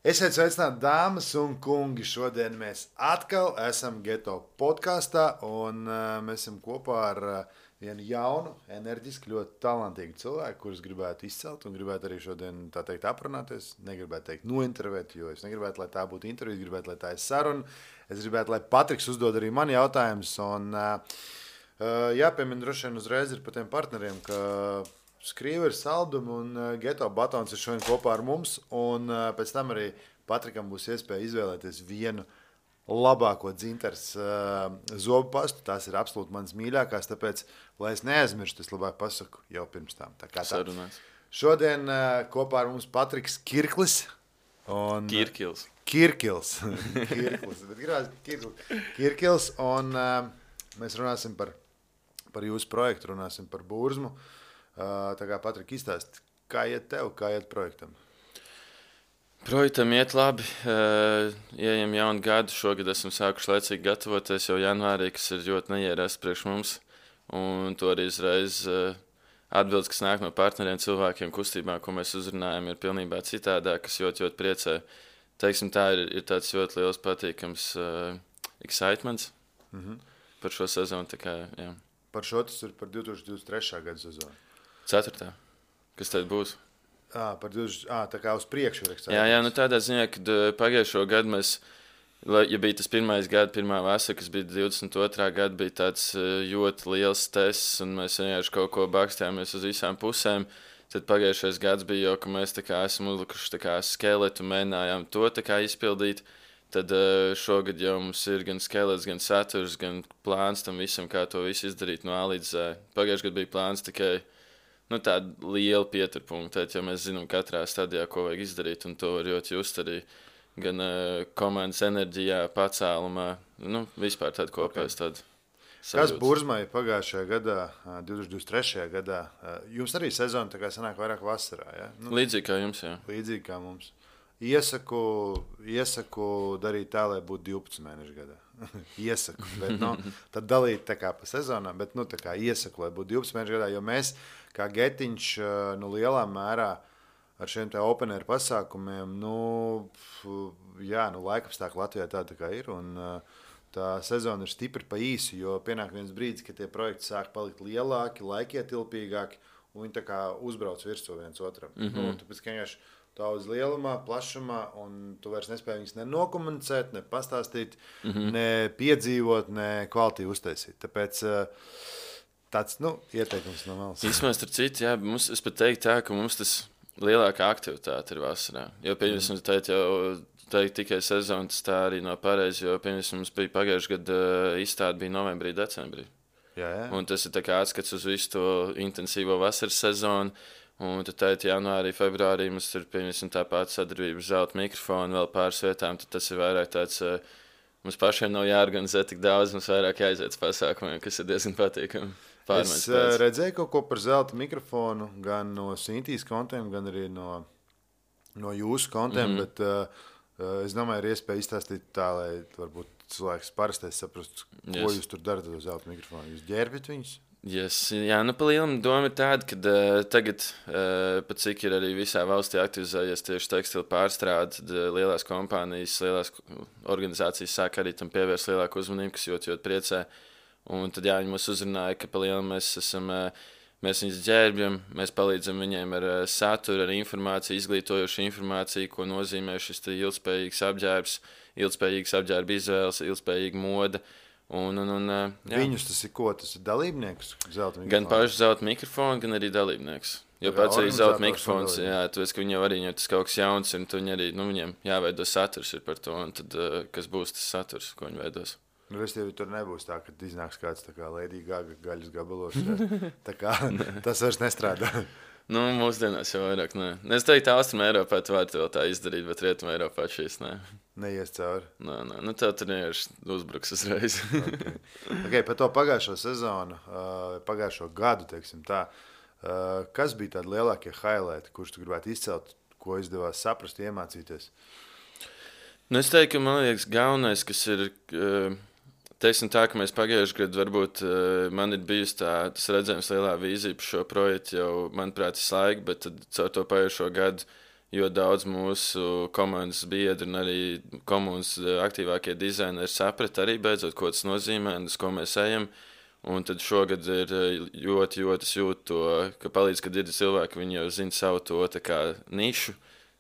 Esiet sveicināti, dāmas un kungi. Šodien mēs atkal esam Geto podkāstā, un mēs esam kopā ar vienu jaunu, enerģisku, ļoti talantīgu cilvēku, kurus gribētu izcelt un gribētu arī šodien, tā teikt, aprunāties. Negribētu teikt, nointervēt, jo es negribētu, lai tā būtu intervija, gribētu, lai tā ir saruna. Es gribētu, lai Patriks uzdod arī man jautājumus. Jāpiemina droši vien uzreiz ir par tiem partneriem, ka Skrīveris, Saldum un Geto Batons ir šodien kopā ar mums, un pēc tam arī Patrikam būs iespēja izvēlēties vienu labāko dzintars zobu pastu. Tās ir absolūti manas mīļākās, tāpēc, lai es neaizmirstu, es labāk pasaku jau pirms tam. Sarunās. Šodien kopā ar mums Patriks Kirklis. Kirkils. Kirkils, bet gribās Kirkils, un mēs runāsim par jūsu projektu, runāsim par Burzmu. Tā kā Patrik izstāst, kā iet tev, kā iet projektam? Projektam iet labi. Ieejam jaunu gadu. Šogad esam sākuši laicīgi gatavoties jau janvārī, kas ir ļoti neierasts priekš mums. Un to arī uzreiz atbildes, kas nāk no partneriem, cilvēkiem, kustībām, ko mēs uzrunājam, ir pilnībā citādāk, kas ļoti priecē. Teiksim, tā ir tāds ļoti liels patīkams excitements par šo sezonu. Tā kā, jā. Par šo tas ir par 2023. gada sezonu. 4. Kas tad būs? Tā kā uz priekšu ir eksāmens. Jā, nu tādā ziņā, kad pagājušo gadu mēs, ja bija tas pirmais gada, pirmā vasara, kas bija 22. gada, bija tāds ļoti liels tests, un mēs vienkārši kaut ko bakstījāmies uz visām pusēm, tad pagājušais gads bija jau, ka mēs tā kā esam uzlikuši tā kā skeletu, mēģinājām to tā kā izpildīt. Tad šogad jau mums ir gan skelets, gan saturs, gan plāns tam visam, kā to visu izdarīt no A līdz Z. Pagājušajā gadā bija plāns tikai tāda liela pieturpunkta, jo mēs zinām katrā stadijā, ko vajag izdarīt, un to var ļoti just arī gan komandas enerģijā, pacēlumā, vispār tāda kopējas tāda sajūta. Kas Burzmai pagājušajā gadā, 2023. gadā, jums arī sezona tā kā sanāk vairāk vasarā, ja? Līdzīgi kā jums, jā. Līdzīgi kā mums. Iesaku darīt tā, lai būtu 12 mēnešu gadā. Iesaku, bet tad dalīt tā kā pa sezonām, bet tā kā iesaku, lai būtu 12 mēnešu gadā, jo mēs, kā Getiņš, lielā mērā ar šiem te open air pasākumiem, laikapstākļi Latvijā tā kā ir, un tā sezona ir stipri pa īsu, jo pienāk viens brīdis, ka tie projekti sāk palikt lielāki, laikietilpīgāki, un viņi tā kā uzbrauc virsū viens otram. Tāpēc, ka vienkārši daudz lielumā, plašumā, un tu vairs nespēji viņus ne nokomunicēt, ne pastāstīt, ne piedzīvot, ne kvalitīvi uztaisīt. Tāpēc tāds, ieteikums no malas. Īsmēs ar citu, jā, es pat teiktu tā, ka mums tas lielākā aktivitāte ir vasarā. Jo, pieņemsim, teikt tikai sezonas, tā arī nav pareizi, jo, pieņemsim, mums bija pagājuši gadu izstāde bija novembrī, decembrī. Jā. Un tas ir tā kā atskats uz visu to intensīvo vasaras sezonu. Un tad janvārī, februārī mums ir tā pati sadarbība ar Zelta mikrofonu, vēl pāris vietām. Tad tas ir vairāk tāds, mums pašiem nav jāorganizē tik daudz, mums vairāk jāiziet uz pasākumiem, kas ir diezgan patīkami. Es redzēju kaut ko par Zelta mikrofonu, gan no Sintīs kontiem, gan arī no jūsu kontiem, bet es domāju, ir iespēja izstāstīt tā, lai varbūt cilvēks parastais saprastu, ko jūs tur darat ar Zelta mikrofonu. Jūs ģērbjat viņus? Yes, jā, pa lielam doma ir tāda, ka tagad, pat cik ir arī visā valstī aktivizējies tieši tekstilu pārstrāde, tad lielās kompānijas, lielās organizācijas sāk arī tam pievērst lielāku uzmanību, kas ļoti priecē. Un tad viņi mūs uzrunāja, ka pa lielam mēs viņus ģērbjam, mēs palīdzam viņiem ar saturu, ar informāciju, izglītojošu informāciju, ko nozīmē šis ilgspējīgs apģērbs, ilgspējīgs apģērba izvēles, ilgspējīga moda. Viņus tas ir ko? Tas ir dalībnieks? Gan paši Zelta mikrofonu, gan arī dalībnieks. Jo pats arī Zelta mikrofons, tu esi, ka viņam arī tas kaut kas jauns, un tu viņi arī, viņiem jāveido saturs ir par to, un tad kas būs tas saturs, ko viņi veidos. Restīvi, tur nebūs tā, ka iznāks kāds tā kā Lady Gaga gaļas gabalos. Tā kā tas vairs nestrādā. Mūsdienās jau vairāk, nē. Es teiktu, Austrum Eiropā tu vari vēl tā izdarīt, bet Rietum Eiropā šīs, nē. Neies cauri. Nē. Tev tur vienkārši uzbruks uzreiz. Okay, par to pagājušo sezonu, pagājušo gadu, teiksim tā, kas bija tādi lielākie highlighti, kurus tu gribētu izcelt, ko izdevās saprast, iemācīties? Es teiktu, ka man liekas galvenais, kas ir... Teiksim tā, ka mēs pagājušajā gadā varbūt man ir bijusi tas redzējums lielā vīzija par šo projektu jau, manuprāt, slaiga, bet tad caur to pagājušo gadu jo daudz mūsu komandas biedri un arī komandas aktīvākie dizaineri saprata arī beidzot, ko tas nozīmē un uz ko mēs ejam. Un tad šogad ir ļoti jūtu to, ka palīdz, kad ir cilvēki, viņi jau zina savu to tā kā nišu,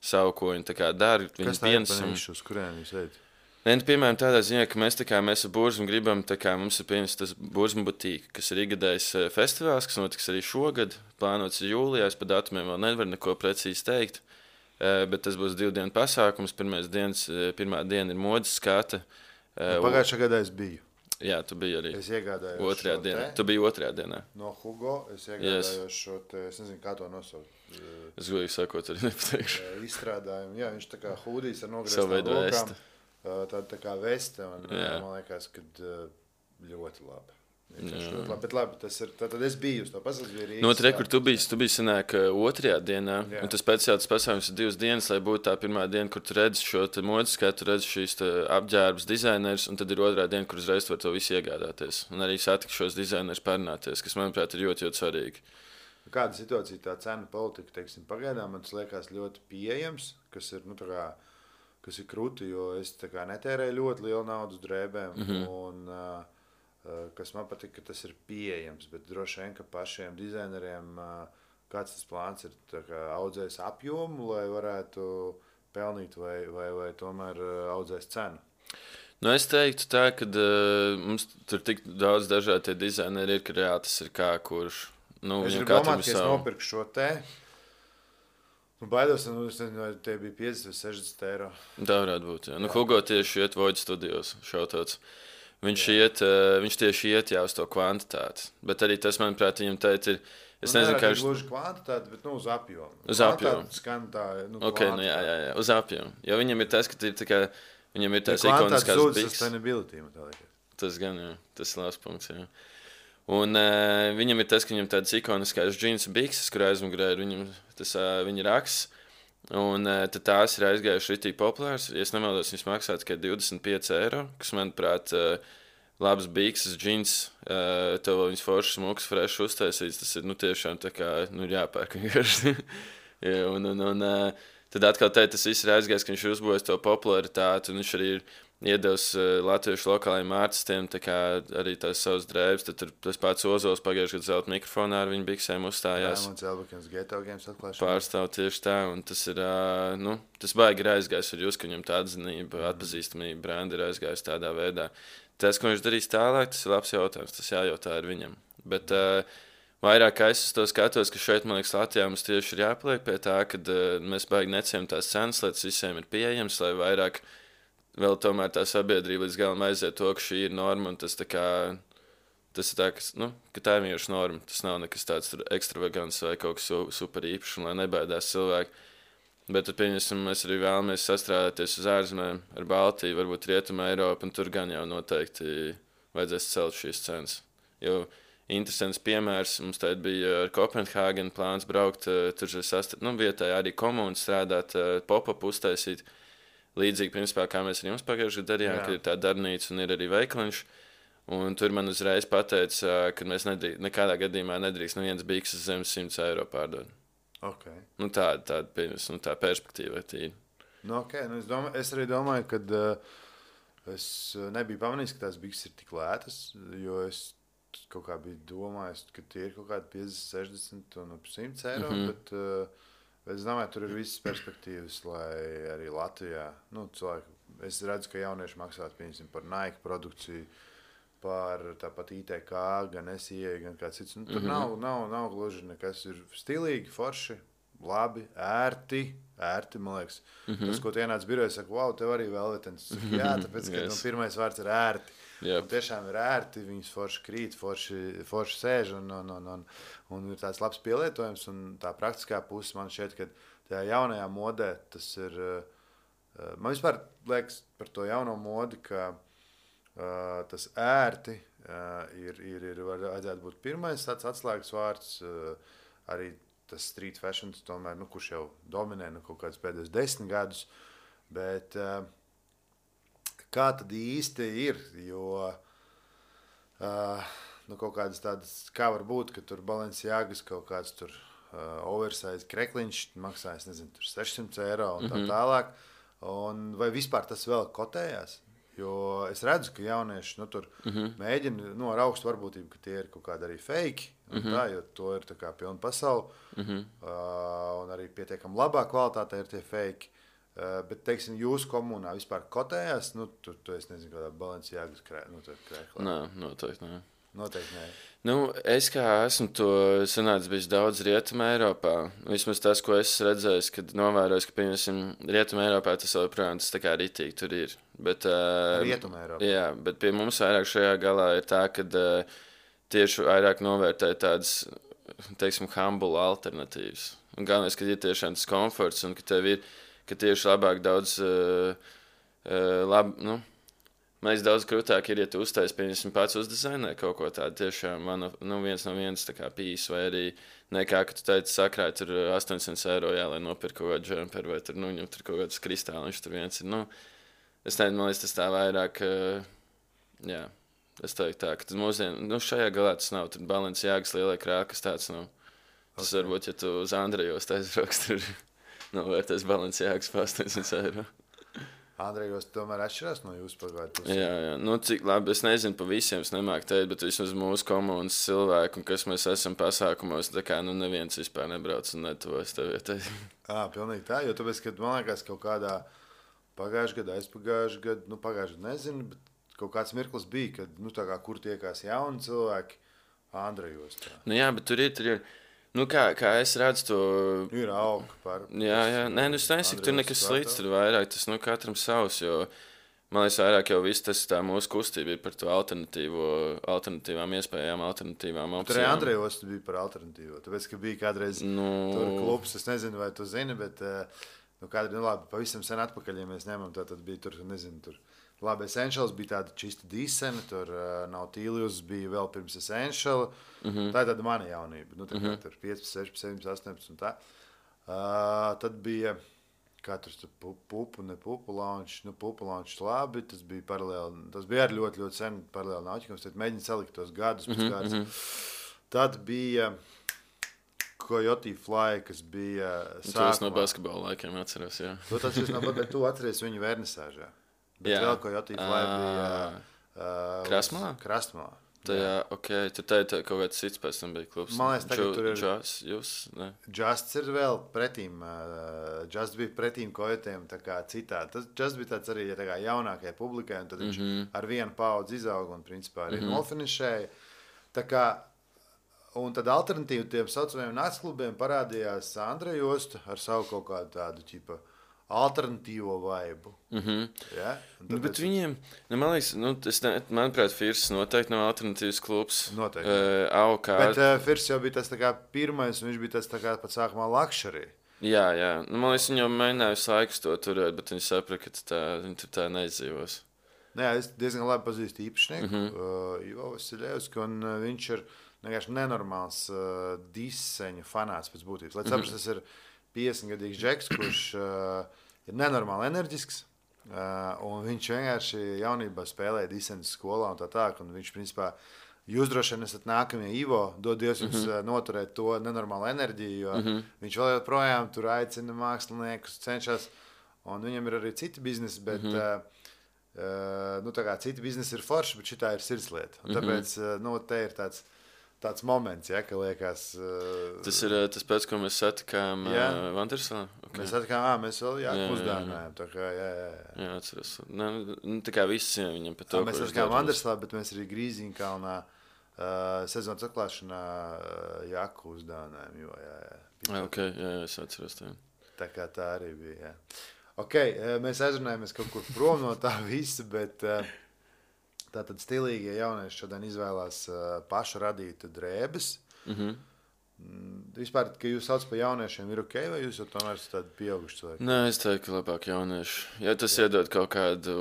savu, ko viņi tā kā dara. Kas tā ir par nišu, uz kurien jūs ejat? Piemēram, tādā ziņā, ka mēs ar Burzmu gribam, mums ir pieņems tas Burzmu butīka, kas ir ikgadējs festivāls, kas notiks arī šogad, plānots jūlijā, es par datumiem vēl nevaru neko precīzi teikt, bet tas būs 2 dienu pasākums, pirmā diena ir modes skata. Pagājušā gadā es biju. Jā, tu biji arī. Es iegādājos otrajā dienā. Tu biji otrajā dienā. No Hugo es iegādājos šo te, es nezinu, kā to nosaukt. Es godīgi sakot, arī nepateikšu. Izstrādājumu, jā, viņš tā kā hūdīs ar nogrieztām rokām. Tā kā veste, un man liekas, ka ļoti labi. Ļoti labi. Bet labi, tas ir, tad es biju uz to pasaules, bija Rīgas. No tre, kur tu biji sanāk otrajā dienā, jā. Un tas speciāls pasākums ir 2 dienas, lai būtu tā pirmā diena, kur tu redzi šo te modes skatu, tu redzi šīs apģērbas dizainers, un tad ir otrā diena, kur uzreiz tu var to visu iegādāties. Un arī satikt šos dizainers parunāties, kas, manuprāt, ir ļoti svarīgi. Kāda situācija tā cena politika, teiksim, pagaidām, man tas liekas ļoti pieejams, kas ir, nu, tā kā, kas ir kruti, jo es tā kā netērēju ļoti lielu naudu uz drēbēm, un kas man patīk, ka tas ir pieejams, bet droši vien, ka pašiem dizaineriem kāds tas plāns ir audzējis apjomu, lai varētu pelnīt vai tomēr audzējis cenu? Nu, es teiktu tā, ka mums tur tik daudz dažādi dizaineri ir, ka reāli tas ir kā kurš. Nu, es gribu domāt, ka es nopirku šo te. Nu, baidos, vai tie bija 50 vai 60 eiro. Tā varētu būt, jā. Nu, Hugo tieši iet Void studijos, šautauts. Viņš tieši iet jau uz to kvantitāti. Bet arī tas, manuprāt, viņam teikt ir... Es nezinu, kā... Gluži kvantitāti, bet uz apjomu. Uz apjomu. Skan tā, jā, uz apjomu. Jo viņam ir tas, ka ir tā kā... Viņam ir tās ikoniskās biks. Tas gan, jā. Tas ir labs punkts, jā. Un viņam ir tas, ka viņam tādas ikoniskās džinsa bikses, kur aizmugurē ir viņa raksts. Un tad tās ir aizgājuši ritīgi populārs. Ja es nemaldos, viņas maksā tikai 25 eiro, kas, manuprāt, labs bikses, džins, tev vēl viņas foršas, smuks, fresh uztaisīts. Tas ir, tiešām tā kā, jāpērk vienkārši. Tad atkal tas viss ir aizgājis, ka viņš ir uzbūvējis to popularitāti, un viņš arī ir iedevis latviešu lokālajiem ārstiem arī tās savas drēbes. Tad tas pats Ozols pagājušajā gadā zelta mikrofonā ar viņu biksēm uzstājās. Jā, un Celbekins Geto Games atklāšanā. Pārstāv tieši tā, un tas ir, tas baigi ir aizgājis ar jūs, ka viņam tā atzinība, atpazīstamība, brandi ir aizgājis tādā veidā. Tas, ko viņš darīs tālāk, tas ir labs jautājums, tas jājautā ar viņam. Bet vairāk es to skatos, ka šeit, man liekas, Latvijā mums tieši ir jāpaliek pie tā, kad mēs baigi neciem tās cenas, lai tas visiem ir pieejams, lai vairāk vēl tomēr tā sabiedrība līdz galam aiziet to, ka šī ir norma, un tas ir tā, ka tā ir vienkārši norma. Tas nav nekas tāds ekstravagants vai kaut kas super īpašs, un lai nebaidās cilvēki. Bet tad, pieņemsim, mēs arī vēlamies sastrādāties uz ārzemēm ar Baltiju, varbūt Rietumu Eiropu, un tur gan jau noteikti vajadzēs celt šīs cenas. Jo interesants piemērs, mums tagad bija ar Kopenhāgenu plāns braukt, tur vietēji arī komūnu strādāt, pop-up uztaisīt. Līdzīgi, principā, kā mēs ar jums pagājušajā gadā darījām, ka ir tā darbnīca un ir arī veikaliņš. Un tur man uzreiz pateica, ka mēs nekādā gadījumā nedrīkst neviens bikses zem 100 eiro pārdot. Okay. Tāda perspektīva ir. Es arī domāju, ka es nebiju pamanījis, ka tās bikses ir tik lētas, jo es kaut kā biju domājis, ka tie ir kaut kādi 50, 60 un ap 100 eiro, bet es domāju, tur ir visas perspektīvas, lai arī Latvijā, cilvēki, es redzu, ka jaunieši maksāt, piemēram, par Nike produkciju, par tāpat ITK, gan SIA, gan kāds cits. Tur nav gluži nekas, ir stilīgi, forši, labi, ērti, man liekas. Tas, ko tu ienāc birojā, saka, wow, tev arī velvetens. Jā, tāpēc, ka pirmais vārds ir ērti. Yep. Un tiešām ir ērti, viņas forši krīt, forši sēž un ir tāds labs pielietojums. Un tā praktiskā puse man šķiet, ka tajā jaunajā modē tas ir, man vispār liekas par to jauno modi, ka tas ērti vajadzētu būt pirmais tāds atslēgas vārds, arī tas street fashion, tomēr, kurš jau dominē kaut kādus pēdējos 10 gadus, bet kā tad īsti ir, jo kaut kādas tādas, kā var būt, ka tur Balenciagas kaut kāds tur oversize krekliņš maksā, es nezinu, tur 600 eiro un tā tālāk. Un vai vispār tas vēl kotējās? Jo es redzu, ka jaunieši tur mēģina ar augstu varbūtību, ka tie ir kaut kādi arī fake. Tā, jo to ir tā kā pilna pasaule. Un arī pietiekami labā kvalitātē ir tie fake. Bet, teiksim, jūsu komunā vispār kotējās? Tu es nezinu, kādā Balenciagas krēklā. Nē, noteikti nē. Noteikti nē. Es kā esmu to sanācis bijis daudz Rietumē Eiropā. Vismaz tas, ko es redzēju, kad novērojos, ka, piemēram, Rietumē Eiropā tas joprojām tas tā kā ritīgi tur ir. Bet, Rietumē Eiropā. Jā, bet pie mums vairāk šajā galā ir tā, ka tieši vairāk novērtē tādas, teiksim, humble alternatīvas. Un galvenais, ka ir tiešām tas komforts un ka tev ir, ka tieši labāk daudz, man liekas, daudz krūtāk ir, ja tu uztais, piemēram, pats uzdizainē kaut ko tādu tiešām viens no viens tā kā pīs, vai arī nekā, ka tu teici sakrāj tur 800 eiro, jā, lai nopirk kaut kādu džemperu, vai tur, ņem tur kaut kādus kristāliņus, tur viens ir, es nezinu, man liekas, tas tā vairāk, jā, es teiktu tā, ka tas mūsdien, šajā galā tas nav, tur Balenciagas lielai krāka, kas tāds nav. Tas varbūt, ja tu uz Andrejos aizbrauks, tur novērtēs Balenciagas pa 800 eiro. Andrejos tomēr atšķirās no jūsu pagājušā pusē. Jā. Cik labi, es nezinu pa visiem, es nemāku teikt, bet vismaz mūsu komunas cilvēku, un kas mēs esam pasākumos, tā kā neviens vispār nebrauc un netuvojas tev vietai. Pilnīgi tā, jo tāpēc, kad man liekas kaut kādā pagājušajā gadā, aizpagājušajā gadā, pagājušajā gadā nezinu, bet kaut kāds mirklis bija, kad, tā kā kur tiekās jauni cilvēki Andrejos. Tā. Jā, bet tur ir. Kā es redzu to... Ir auga par... Jā. Nē, es nesaku, tur nekas slikts, tur vairāk tas, katram savs, jo, man liekas, vairāk jau viss tas tā mūsu kustība ir par to alternatīvām iespējām, alternatīvām opcijām. Tur arī Andrejos bija par alternatīvo, tāpēc, ka bija kādreiz tur klubs, es nezinu, vai tu zini, bet, kādreiz, labi, pavisam sen atpakaļ, ja mēs ņemam, tad bija tur, nezinu, tur... Labi, Essentials bija tāda čista dīsena, tur Nautilus bija vēl pirms Essential. Tā ir tāda mana jaunība. Tā kā tur 15, 16, 17, 18 un tā. Tad bija, kā tur pupu launch, pupu launch labi, tas bija paralēli, tas bija arī ļoti, ļoti sen paralēli nauķikums, tad mēģina salikt tos gadus pēc kāds. Tad bija Coyote Fly, kas bija sākumā. Tas no basketbola laikiem atceros, jā. Tu atceries viņu vernisāžā. Bet vēl Coyote Fly bija Krasmalā. Jā, ok. Tur tā kaut kāds cits pēc tam bija klubs. Man liekas, tagad tur ir... Justs ir vēl pretīm. Justs bija pretīm Coyotēm tā kā citādi. Justs bija tāds arī tā kā jaunākajai publikai, un tad viņš ar vienu paudzi izauga un principā arī nofinišēja. Tā kā, un tad alternatīvi tiem saucamajiem nācklubiem parādījās Andrejos ar savu kaut kādu tādu ķipa alternatīvo vaibu. Ja? Bet viņiem, man liekas, manuprāt, Firs noteikti nav alternatīvs klubs. Noteikti. Bet Firs jau bija tas tā kā pirmais, un viņš bija tas tā kā pat sākumā luxury. Jā. Man liekas, viņi jau mēģināja visu laiku to turēt, bet viņi saprata, ka viņi tur tā neizdzīvos. Jā, es diezgan labi pazīstu īpašnieku, Ivo Vasiljevski, un viņš ir vienkārši nenormāls diseņa fanāts pēc būtības. Lai saprast, tas ir 50-gadīgs džeks, kurš ir nenormāli enerģisks, un viņš vienkārši jaunībā spēlēja diseņas skolā un tā, un viņš, principā, jūs droši vien esat nākamie Ivo, dod Dievs jums noturēt to nenormālu enerģiju, jo viņš vēl joprojām tur aicina māksliniekus, cenšas, un viņam ir arī citi biznesi, bet, tā kā citi biznesi ir forši, bet šitā ir sirdslieta, un tāpēc, te ir tāds moments, ja, ka liekas... Tas ir tas pēc, ko mēs satikām Vandersalā? Okay. Mēs satikām, mēs vēl uzdāvinājām, tā kā, jā. Jā, atceros. Tā kā visi viņam par to, mēs satikām Vandersalā, bet mēs arī Grīziņkalnā sezonas atklāšanā jaku uzdāvinājām, jo, jā. Ok, jā, es atceros tā. Tā kā tā arī bija, jā. Ok, mēs aizrunājamies kaut kur prom no tā visa, bet... Tātad stilīgie jaunieši šodien izvēlās pašu radītu drēbes. Vispār, ka jūs sauc par jauniešiem, ir ok, vai jūs jau tomēr esat tādi pieauguši cilvēki? Nē, es teiktu, ka labāk jaunieši. Ja tas iedod kaut kādu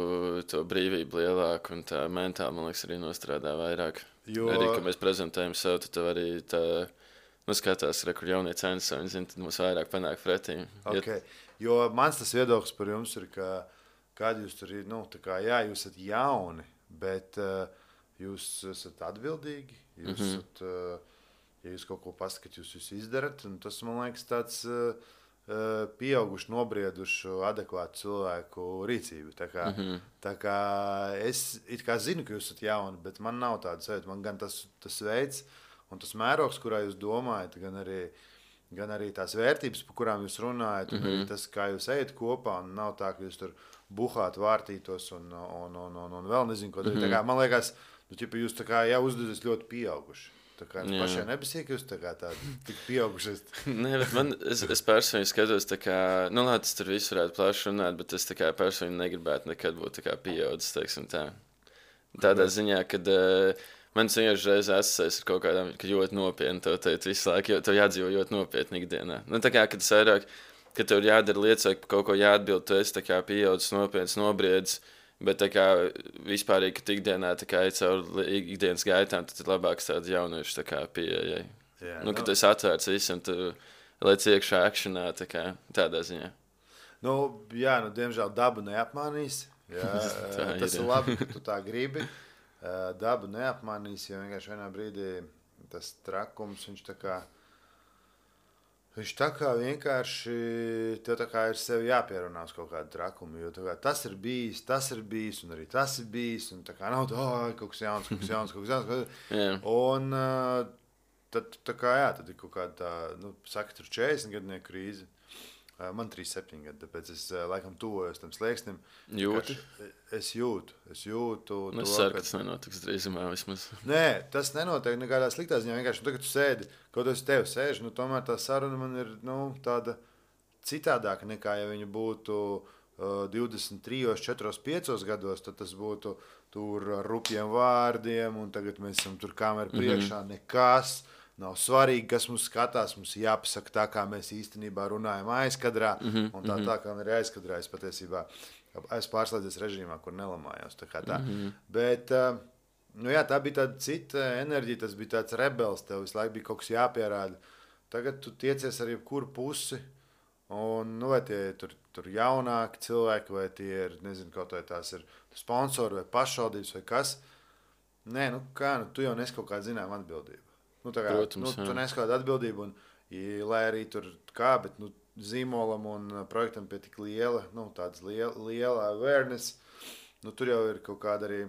to brīvību lielāku un tā mentāli, man liekas, arī nostrādā vairāk. Arī, ka mēs prezentējam sev, tad tev arī tā, skatās, kur jaunie cenas, viņi zina, tad mums vairāk panāk pretī. Ok, jo mans tas viedoklis par jums ir, ka kādi jūs tur ir, tā kā, jā, jūs esat jauni, bet jūs esat atbildīgi, jūs esat, ja jūs kaut ko pasakāt, jūs izdarat, un tas, man liekas, tāds pieauguši, nobrieduši, adekvātu cilvēku rīcību. Tā kā es it kā zinu, ka jūs esat jauni, bet man nav tāda sajūta. Man gan tas veids un tas mērogs, kurā jūs domājat, gan arī tās vērtības, par kurām jūs runājat, un arī tas, kā jūs ejat kopā, un nav tā, ka jūs tur buhāt, vārtītos un vēl nezinu, ko darīt. Tā kā, man liekas, jūs tā kā jau uzdevis ļoti pieauguši. Tā kā pašai nebija, ka jūs tādi tik pieauguši. Nē, bet es personīgi skatos, kā, labi, tas tur viss varētu plaši runāt, bet es personīgi negribētu nekad būt pieaudzis, teiksim tā. Tādā ziņā, kad man vienkārši reizē asociēs ar kaut kādām, ka ļoti nopietni to teikt visu laiku, jo tev jādzīvo ļoti nopietni ikdienā. Tā kā, kad es vairāk, kad tev ir jādara lietas, vai kaut ko jāatbild, tu esi pieaudzis, nopietns, nobriedzis. Bet tā kā vispārīgi, kad ikdienā ir caur ikdienas gaitām, tad ir labāks tāds jauniešu pieejai. Kad es atvērts visam, tu lec iekšā akšanā, tādā ziņā. Diemžēl dabu neapmānīs. Tas ir labi, ka tu tā gribi. Dabu neapmānīs, jo vienkārši vienā brīdī tas trakums, viņš tā kā vienkārši tev tā kā ir sevi jāpierunā uz kaut kādu trakumu, jo kā, tas ir bijis, un arī tas ir bijis, un tā kā nav kaut kas jauns. Un tad tā kā tad ir kaut kāda tā, saka, tur 40 gadnieku krīze. Man 37 gadi, tāpēc es laikam tuvojos tam slieksnim. Jūti? Es jūtu. Es ceru, ka tas nenotiks drīzumā vismaz. Nē, tas nenotiek nekādā sliktā ziņā. Vienkārši, tagad tu sēdi, kaut es tevi sēžu, tomēr tā saruna man ir tāda citādāka nekā, ja viņa būtu 23, 4, 5 gados, tad tas būtu tur ar rupjiem vārdiem, un tagad mēs esam tur kameru priekšā, nekas. Nav svarīgi, kas mums skatās. Mums jāpasaka tā, kā mēs īstenībā runājam aizkadrā. Un tā kā man ir aizkadrā, es patiesībā esmu pārslēdzies režīmā, kur nelamājos. Tā. Bet tā bija tāda cita enerģija, tas bija tāds rebels. Tev visu laiku bija kaut kas jāpierāda. Tagad tu tiecies ar jebkuru pusi. Un, vai tie tur jaunāki cilvēki, vai tie ir, nezinu, kaut vai tās ir sponsori vai pašvaldības vai kas. Nē, tu jau nes kaut kādu zinām atbildību. Protams, tu nes kādu atbildību, lai arī tur kā, bet zīmolam un projektam pie tik liela awareness, tur jau ir kaut kāda arī,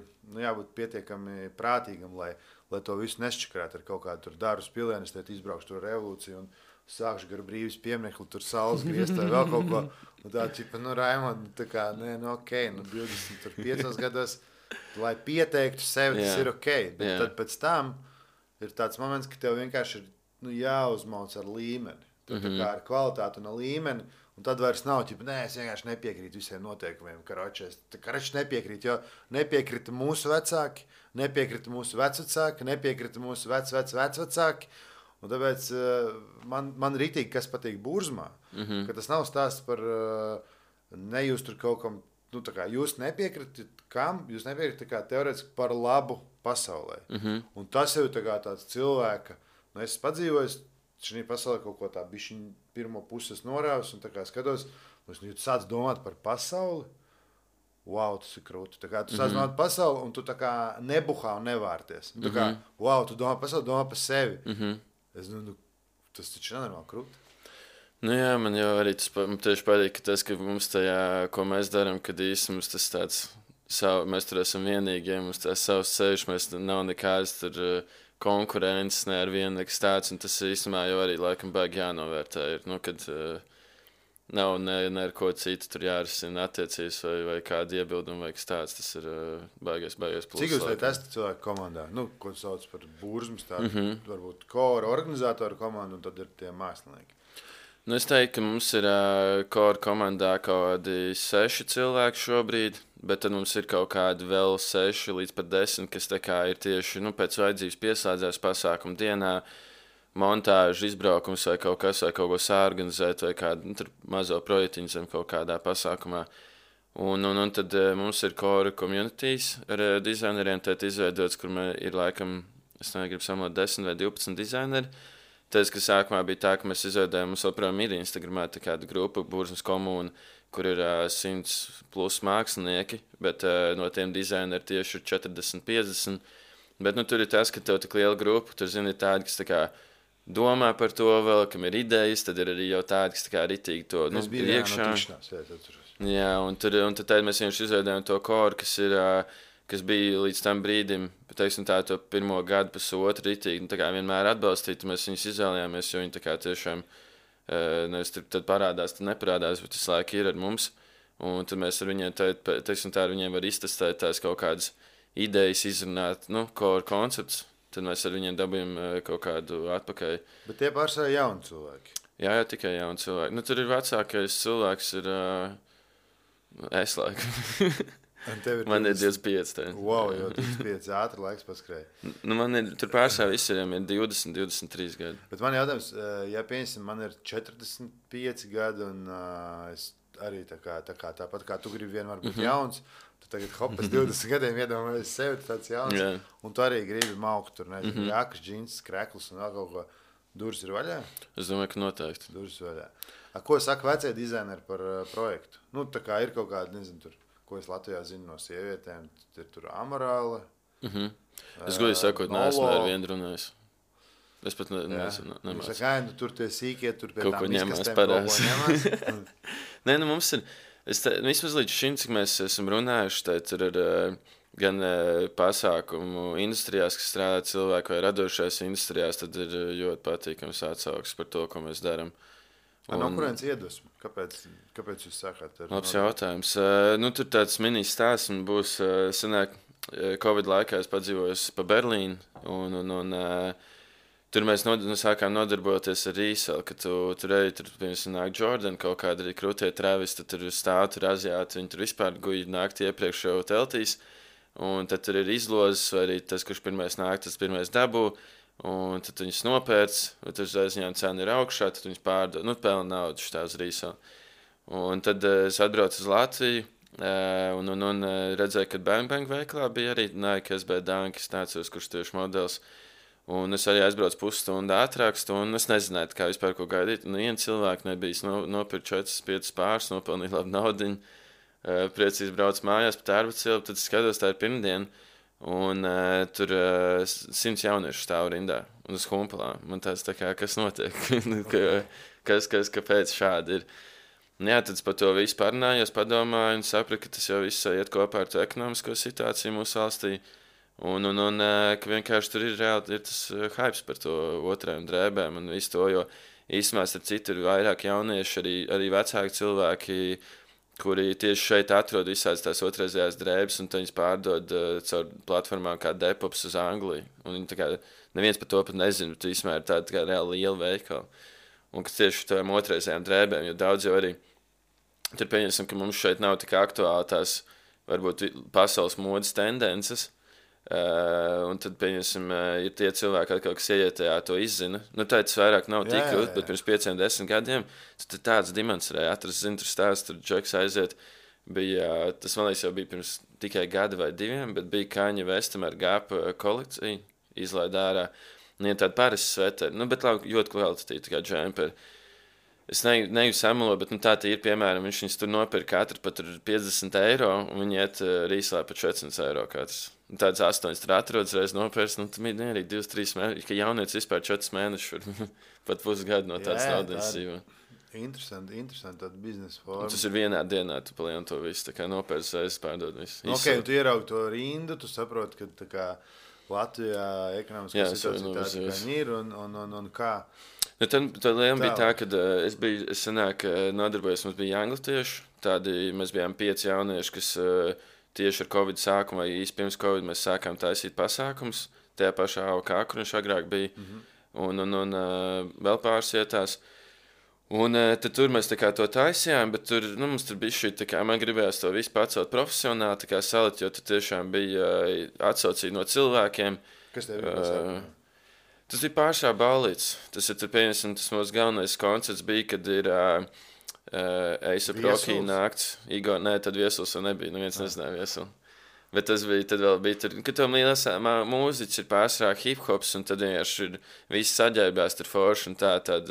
jābūt pietiekami prātīgam, lai to visu nesčakrāt ar kaut kādu tur Dārus Pilienis, tad izbraukšu tur revolūciju un sākšu gar brīvis pieminekli, tur saules griezt vai vēl kaut ko. Tā čipa, Raimond, tā kā, ok, 25 gados, lai pieteiktu sevi, tas ir ok, bet tad pēc tam ir tāds moments, ka tev vienkārši ir jāuzmauc ar līmeni. Tā kā ar kvalitāti un ar līmeni. Un tad vairs nav, es vienkārši nepiekrītu visiem noteikumiem. Karačs nepiekrīt, jo nepiekrita mūsu vecāki, nepiekrita mūsu vecvecāki, nepiekrita mūsu vecvecāki. Un tāpēc man rītīgi, kas patīk Burzmā, ka tas nav stāsts par nejūst tur kaut kam. Jūs nepiekritat kam? Jūs nepiekritat teorētiski par labu pasaulē. Un tas jau ir tāds cilvēka, es padzīvoju šī pasaulē kaut ko tā bišķiņ pirmo puses norāvis un skatos, un tu sāc domāt par pasauli. Wow, tas ir krūti. Tu sāc domāt par pasauli, un tu nebuhā un nevārties. Wow, tu domā par pasauli, domā par sevi. Es tas taču nenormāli krūti. Jā, man jau arī tas tieši patīk, ka mums tajā, ko mēs darām, kad īsti mums tas tāds, mēs tur esam vienīgie, mums tās savs ceļš, mēs nav nekādas tur konkurences, ne ar vienu nekas tāds, un tas īstenībā jau arī laikam baigi jānovērtē ir, kad nav ne ar ko citu tur jārisina attiecības vai kāda iebilduma vai kas tāds, tas ir baigais pluss. Cik jūs esat cilvēku komandā? Ko sauc par Burzmas, tādu varbūt kora organizātoru komandu, un tad ir tie mākslinieki. Es teiktu, ka mums ir kora komandā kaut kādi 6 cilvēki šobrīd, bet tad mums ir kaut kādi vēl 6 līdz pat 10, kas ir tieši pēc vajadzības pieslēdzās pasākumu dienā, montāžu, izbraukums vai kaut kas, vai kaut ko sāorganizēt, vai kādu mazo projektiņu zem kaut kādā pasākumā. Un tad mums ir kora communities ar dizaineriem, izveidots, kur ir laikam, es negribu samot 10 vai 12 dizaineri. Tas, ka sākumā bija tā, ka mēs izveidojām, mums joprojām ir Instagramā tāda grupa, Burzmas komūna, kur ir 100+ mākslinieki, bet no tiem dizaineri tieši ir 40, 50. Bet tur ir tas, ka tev tik liela grupa, tur zini, ir tādi, kas domā par to vēl, kam ir idejas, tad ir arī jau tādi, kas tā kā ritīgi to iekšā. Jā, un tad mēs vienkārši izveidojām to koru, kas bija līdz tam brīdim, teiksim tā, to pirmo gadu, pusotru ritīgi, tā kā vienmēr atbalstīt, mēs viņus izvēlējāmies, jo viņi tā kā tiešām nevis tad parādās, tad neparādās, bet visu laiku ir ar mums. Un tad mēs ar viņiem, teiksim tā, ar viņiem var iztestēt tās kaut kādas idejas, izrunāt, core koncepts. Tad mēs ar viņiem dabījām kaut kādu atpakaļ. Bet tie pārsvarā jauni cilvēki. Jā, tikai jauni cilvēki. Tur ir vecākais cilvēks, ir es laikam. Man ir 25. Wow, jau 25 ātri laiks paskrēja. Man ir, tur pārsvarā visiem ir 20, 23 gadi. Bet man jautājums, ja pieņemsim, man ir 45 gadi un es arī tāpat kā tu gribi vienmēr būt jauns, tu tagad pēc 20 gadiem iedomājies sevi tāds jauns, un tu arī gribi maukt tur, nezinu, jākas, džins, krekls un vēl kaut ko. Durvis ir vaļā? Es domāju, ka noteikti. Durvis vaļā. Ko saka vecie dizaineri par projektu? Tā kā ir kaut kāda, nezinu, tur, ko es Latvijā zinu no sievietēm, ir tur Amorāla. Es godīgi sakot, neesmu ar vienu runājis. Es pat nezinu. Tur tie sīkie, tur pie kaut tām izkastēm kaut ko ņemās. Nē, mums ir, vismaz līdz šim, cik mēs esam runājuši, tad ir gan pasākumu industrijās, kas strādā cilvēku vai radošais industrijās, tad ir ļoti patīkams atsauksmes par to, ko mēs darām. No kurienes iedvesmu? Kāpēc jūs sākāt? Labs jautājums. Tur tāds mini stāsts un būs, sanāk, Covid laikā es padzīvoju pa Berlīnu un tur mēs sākām nodarboties ar resell, ka tur ej, piemēram, nāk Jordan, kaut kāda arī krūtie travis, tad tur stāv, tur aziāti, viņi tur vispār guļ naktī iepriekš jau teltīs, un tad tur ir izlozes, vai arī tas, kurš pirmais nāk, tas pirmais dabū, un tad viņus nopērc, un tad uzreiz viņām cena ir augšā, tad viņus pārdod, pelna naudu šitā uz resell. Un tad es atbraucu uz Latviju, un redzēju, ka Bang Bang veiklā bija arī Nike SB Dunk, es neatceros, kurš tieši modelis. Un es arī aizbraucu pusstundu ātrāk, un es nezināju, kā vispār ko gaidīt. Viens cilvēks nebija nopirkt 4-5 pāris, nopelnīja labu naudiņu, priecīgi brauc mājās pa tērbacielu, tad skatos, tā ir pirmdiena, un tur 100 jauniešu stāv rindā, un uz humpalā. Man tāds tā kā, kas notiek, kāpēc šādi ir. Jā, tad par to visu parunājos, padomāju un sapratu, ka tas jau viss iet kopā ar to ekonomisko situāciju mūsu valstī. Un ka vienkārši tur ir reāli tas hypes par to otrajām drēbēm un visu to, jo īstenībā starp citu ir vairāk jaunieši, arī vecāki cilvēki, kuri tieši šeit atrod visādas tās otrreizējās drēbes un viņas pārdod caur platformām kā Depops uz Angliju. Un viņi tā kā neviens par to pat nezina, bet īstenībā ir tāda reāli liela veikala. Un kas tieši tām otrreizējām drēbēm, jo daudz jau arī tur pieņemsim, ka mums šeit nav tik aktuāli tās varbūt pasaules modes tendences. Un tad, pieņemsim, ir tie cilvēki, kas ieiet tajā, to izzina. Tas vairāk nav tik grūti, bet pirms 5-10 gadiem tad tāds demonstrēja. Atrast, tur stāsts, tur Džeks aiziet. Tas, man liekas, jau bija pirms tikai gada vai 2, bet bija Kanye Westam ar Gap kolekciju, izlaid ārā. Un ir tāda parasti sveteri, bet ļoti kvalitatīvi, tā kā džemperi. Es neju samalo, bet tā ir, piemēram, viņš tur nopirka katru pat 50 eiro, un viņi iet rīslē par 400 eiro katrs. Tāds 8 tur atrodas, reiz nopērts, tad bija arī 2-3 mēneši, ka jaunietis vispār 4 mēnešus pat pusgadu no tādas naudas dzīvo. Interesanti tāda biznesa forma. Tas ir vienā dienā, tu palieni to visu, tā kā nopērts, reiz pārdod visu. Ok, un tu ieraugi to rindu, tu saproti, ka tā kā Latvijā ekonomiskā situācija tāda, kā ir, un kā? Tad liela bija tā, ka es senāk nodarbojos, mums bija anglitieši, mēs bijām 5 jaunieši, kas tieši ar Covid sākumu vai īsti pirms Covid mēs sākām taisīt pasākums, tajā pašā AOK, kur viņš agrāk bija, un vēl pāris vietās. Un tad tur mēs tā kā to taisījām, bet tur, mums tur bija šī, tā kā man gribējās to visu pacelt profesionāli, tā kā salikt, jo tur tiešām bija atsaucīgi no cilvēkiem. Kas tev ir pasākumā? Tas bija pāršā ballīts. Tas ir, pieņemsim, tas mūsu galvenais koncerts bija, kad ir A$AP Rocky nakts. Igor, tad Viesuls vēl nebija, neviens nezināja Viesulu. Bet tas bija, tad vēl bija tur, ka to mūziķis ir pārsvarā hip-hops, un tad vienkārši ir visi saģērbās tur forši, un tad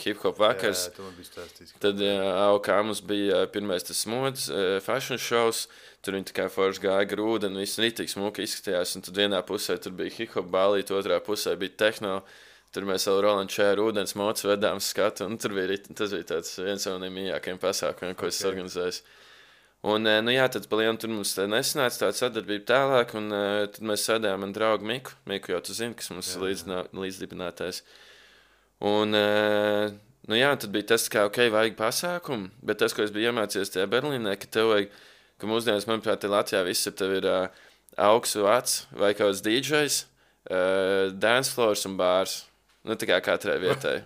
hip-hop vakars. Jā, to man bija stāstīts. Tad AOK mums bija pirmais tas mods, fashion shows, tur viņi tā kā forši gāja grūda, un viss ritīgi smuki izskatījās, un tad vienā pusē tur bija hip-hop ballīt, otrā pusē bija tehno. Tur mēs vēl Rolands Čēru ūdens mocu vedām skatu, un tas bija tāds viens no mīļākajiem pasākumiem, ko es organizēju. Un, nu jā, tad pa lielu tur mums nesanāca tāda sadarbība tālāk, un tad mēs sēdējām ar draugu Miku. Miku jau tu zini, kas mums līdzdibinātais. Un, nu jā, tad bija tas, ka, vajag pasākumu, bet tas, ko es biju iemācījies tajā Berlīnē, ka tev vajag, ka mūsdienas, manuprāt, Latvijā viss tev ir augsts vats vai kaut kāds DJs, dance floors un bārs. Nu, tā kā katrai vietai.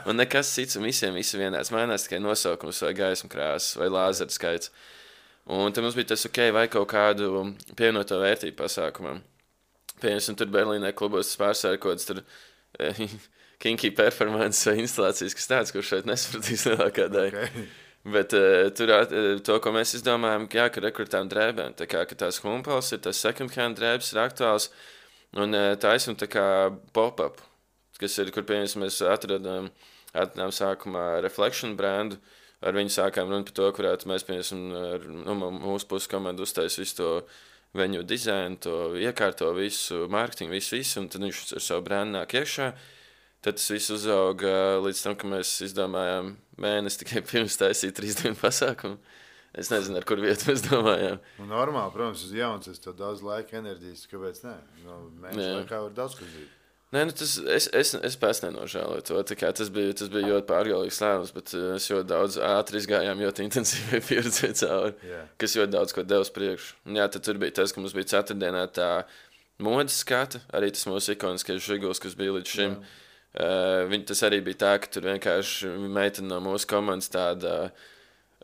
Un nekas cits, un visiem vienāds. Mainās tikai nosaukums vai gaismu krāsas vai lāzeru skaits. Un tad mums bija tas, vai kaut kādu pievienoto vērtību pasākumam. Piemēram, tur Berlīnē klubos tas pārsvarā kaut kāds tur kinky performance vai instalācijas, kas tāds, kurš šeit nesapratīs lielākā daļa. Okay. Bet tur to, ko mēs izdomājām, ka rekrutējam drēbēm. Tā kā tās humpals ir, tas second hand drēbes ir aktuāls. Un taisam tā kā pop-up. Kas ir, kur piemēram mēs atradām sākumā Reflection brandu, ar viņu sākām runāt par to, kurētu mēs, piemēram, mūsu puses komandu uztais visu to viņu dizainu, to iekārto visu, mārketingu, visu, un tad viņš ar savu brandu nāk iekšā. Tad tas viss uzauga līdz tam, ka mēs izdomājām mēnesi tikai pirms taisīt 3 dienu pasākumu. Es nezinu, ar kur vietu mēs domājām. Nu, normāli, protams, uz jauns, es to daudz laika, enerģijas, kāpēc ne? Nu, mēneši laikā var daudz, kas bija. Nē, nu es pēc nenožēloju to. Tas bija ļoti pārgalīgs lēmums, bet es ļoti daudz ātri izgājām, ļoti intensīvi pieredzēju cauri, kas ļoti daudz ko devs priekšu. Un jā, tad tur bija tas, ka mums bija ceturtdienā tā modes skata, arī tas mūsu ikoniskais žiguls, kas bija līdz šim. Tas arī bija tā, ka tur vienkārši meitene no mūsu komandas tāda,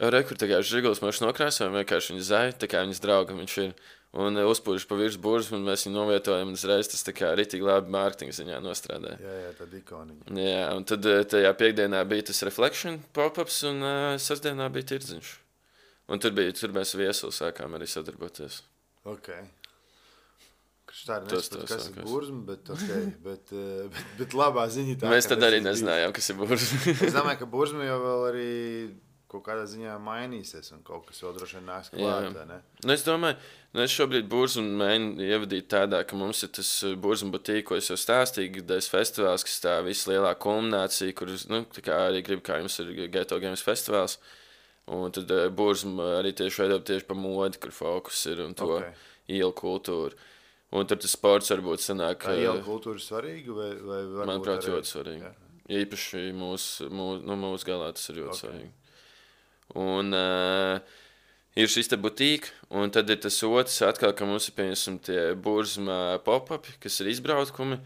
kur tā kā žiguls mēs nokrāsojam, vienkārši viņa zai, tā kā viņas drauga viņš ir. Un uzpūžu pa virs burzmu, un mēs viņu novietojam, un uzreiz tas tā kā ritīgi labi mārketinga ziņā nostrādāja. Jā, tad ikoniņa. Jā, un tad tajā piekdienā bija tas Reflection pop-ups, un sestdienā bija tirdziņš. Un tur mēs viesuli sākām arī sadarboties. Ok. Tā ir nesaprot, kas ir burzma, bet labā ziņa tā. Mēs tad arī nezinājām, kas ir burzma. Es domāju, ka burzma jau vēl arī kaut kādā ziņā mainīsies, un kaut kas vēl droši vien nāks klāt, ne? Nu, es domāju, es šobrīd burzmu mēģinu ievadīt tādā, ka mums ir tas burzma butīk, ko es jau stāstīju, gadais festivāls, kas tā visa lielā kulminācija, kur, nu, tā kā arī gribu, kā jums ir Ghetto Games festivāls, un tad burzma arī tieši veidot tieši pa modi, kur fokus ir, un to ielu kultūru. Un tad tas sports varbūt sanāk... Tā ielu kultūra ir svarīga, vai varbūt... Manuprāt, ļoti svarīga. Īpaši mūsu galā tas ir ļoti svarīgi. Un ir šis te butīka, un tad ir tas otrs atkal, ka mums ir pieņemsim tie burzma pop-upi, kas ir izbraukumi,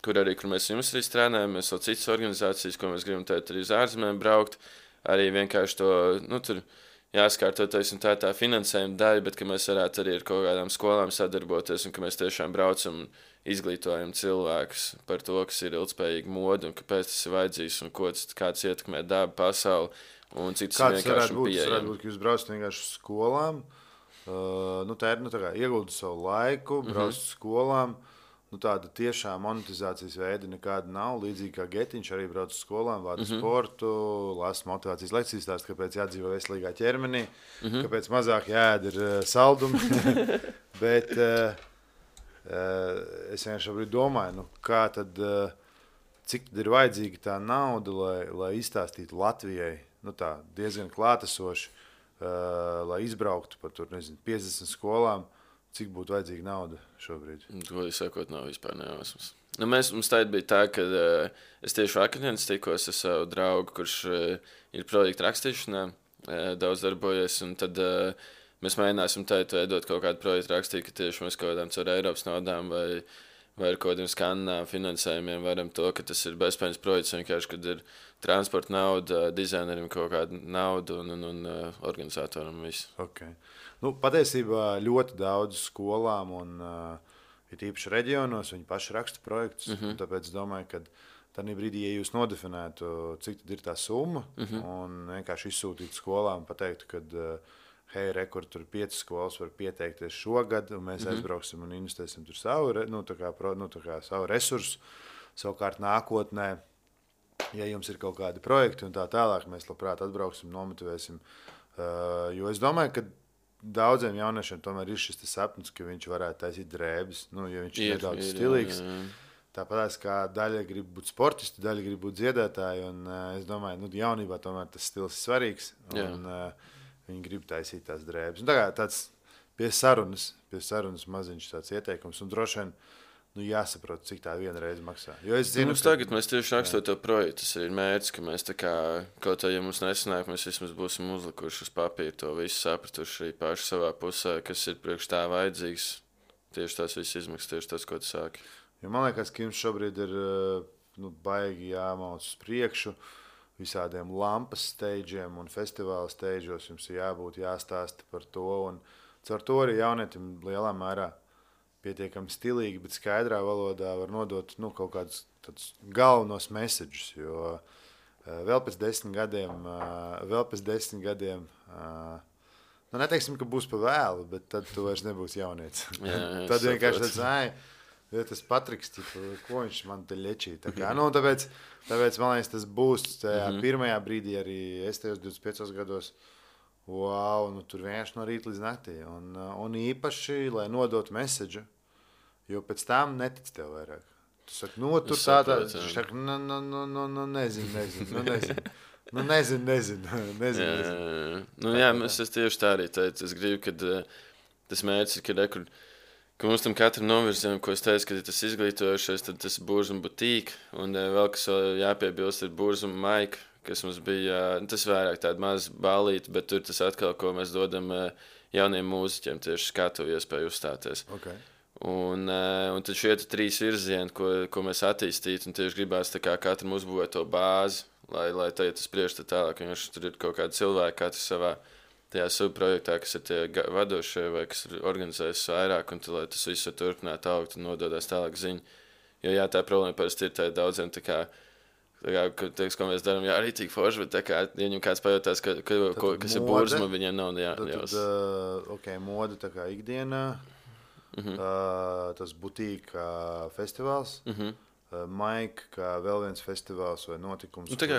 kur mēs jums arī strādājam, mēs vēl citas organizācijas, ko mēs gribam tēt arī uz ārzemēm braukt, arī vienkārši to, nu, tur jāskārtoties un tā finansējuma daļa, bet ka mēs varētu arī ar kaut kādām skolām sadarboties un ka mēs tiešām braucam un izglītojam cilvēkus par to, kas ir ilgspējīga moda un kāpēc tas ir vajadzīgs un kāds ietekmē dabu, pasauli. Un citas vienkārši pieejami. Tas varētu būt, ka jūs braucat vienkārši uz skolām, tā ir, tā kā ieguldat savu laiku, braucat uz skolām, tāda tiešā monetizācijas veida nekāda nav, līdzīgi kā Getiņš arī brauc uz skolām, vāda sportu, lasa motivācijas lekcijas stāst, kāpēc jādzīvo veselīgā ķermenī, kāpēc mazāk jāēd ir saldumi, bet es vienkārši domāju, kā tad, cik tad ir vajadzīga tā nauda, lai izstāstītu Latvijai, tā diezgan klātesoši, lai izbrauktu par 50 skolām, cik būtu vajadzīga nauda šobrīd? Godīgi sakot, nav vispār nejausmas. Mums tā bija tā, ka es tieši akadēmis tikos ar savu draugu, kurš ir projekta rakstīšanā, daudz darbojies, un tad mēs mēģināsim veidot kaut kādu projektu rakstīt, ka tieši mēs kaut kādām caur Eiropas naudām vai ar kaut kādiem skanām finansējumiem varam to, ka tas ir bezpējas projekts, vienkārši, kad ir transporta nauda, dizainerim kaut kāda nauda un organizatoram visu. Okay. Patiesībā ļoti daudz skolām un ir īpaši reģionos, viņi paši raksta projektus, un tāpēc domāju, ka tādā brīdī, ja jūs nodefinētu, cik tad ir tā summa, un vienkārši izsūtītu skolām, pateiktu, ka hei, tur 5 skolas var pieteikties šogad, un mēs aizbrauksim un investēsim tur savu resursu. Savukārt nākotnē, ja jums ir kaut kādi projekti un tā tālāk, mēs labprāt atbrauksim, nomotivēsim. Jo es domāju, ka daudziem jauniešiem tomēr ir šis sapnis, ka viņš varētu taisīt drēbes, ja viņš ir nedaudz stilīgs. Tāpat kā daļa grib būt sportisti, daļa grib būt dziedātāji. Un, es domāju, jaunībā tomēr tas stils ir svarīgs. Un, viņi grib taisīt tās drēbes. Tāds pie sarunas maziņš tāds ieteikums. Un droši vien jāsaprot, cik tā viena reize maksā. Jo es zinu, tagad mēs tieši rakstot to projektu. Tas ir mērķis, ka mēs kaut kā, ja mums nesanāk, mēs vismaz būsim uzlikuši uz papīra to visu, sapratuši arī paši savā pusē, kas ir priekš tā vajadzīgs. Tieši tās visas izmaksas, tieši tas, ko tu sāki. Jo man liekas, ka jums šobrīd ir baigi jāmauc uz priekšu visādiem lampas steidžiem un festivāla steidžos. Jums ir jābūt jāstāsta par to. Un caur to arī jaunietim lielā mērā pietiekami stilīgi, bet skaidrā valodā var nodot kaut kādus galvenos messages. Jo vēl pēc 10 gadiem, neteiksim, ka būs pa vēlu, bet tad tu vairs nebūsi jaunietis. Tad vienkārši tas Patriks, ko viņš man te ļečī. Tāpēc, man liekas, tas būs tajā pirmajā brīdī arī es tajos 25 gados. Wow, tur vienkārši no rīta līdz naktī. Un īpaši, lai nodotu message, jo pēc tam netic tev vairāk. Tu saki, tur tādā, viņš saka, nezinu. Jā, es tieši tā arī teicu. Es gribu, kad tas mērķis ir, ka mums tam katram novirzienam, ko es teicu, ka tas izglītojušies, tad tas Burzuma butīka, un vēl, kas jāpiebilst, ir Burzuma maika, kas mums bija, tas vairāk tāda maza ballīte, bet tur tas atkal, ko mēs dodam jauniem mūziķiem, tieši skatu iespēju uzstāties. Okay. Un tad šie 3 virzieni, ko mēs attīstītu, un tieši gribās katram uzbūvēt to bāzi, lai tas priekš tālāk, jo tur ir kaut kādi cilvēki, katrs savā tajā subprojektā, kas ir tie vadošie vai kas ir organizējis vairāk, un lai tas viss var turpināt augt un nododās tālāk ziņu. Jo jā, tā problēma parasti ir tā daudziem ko mēs darām, jā, arī tik forši, bet ja viņam kāds pajautās, kas ir Burzuma, viņiem nav jājaus. Moda tā kā ikdienā, tas butīka festivāls, Maika, kā vēl viens festivāls vai notikums. Tā kā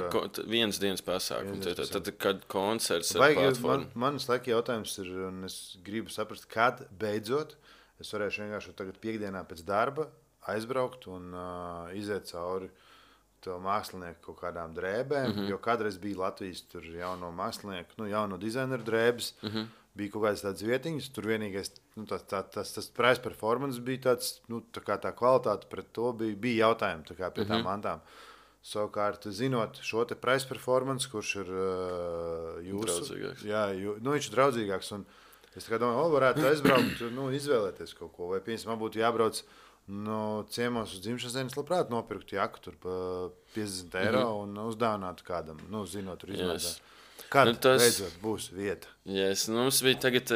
viens dienas pasākums, tad kad koncerts ar platformu. Manas laika jautājums ir, un es gribu saprast, kad beidzot es varēšu vienkārši tagad piekdienā pēc darba aizbraukt un iziet cauri to mākslinieku kaut kādām drēbēm, jo kādreiz bija Latvijas tur jauno mākslinieku, jauno dizaineru drēbes, bija kaut kādas tādas vietiņas, tur vienīgais, tas price performance bija tāds, tā kvalitāte pret to bija jautājumi tā kā pie tām mantām. Savukārt, zinot šo te price performance, kurš ir jūsu... Draudzīgāks. Jā, viņš ir draudzīgāks, un es tā kā domāju, varētu aizbraukt, izvēlēties kaut ko, vai piemēram, man būtu jābrauc ciemos uz dzimšanas dienas, labprāt nopirkt jaku tur pa 50 eiro un uzdāvinātu kādam, zinot, tur izmētāt. Kad beidzot būs vieta? Yes, mums bija tagad,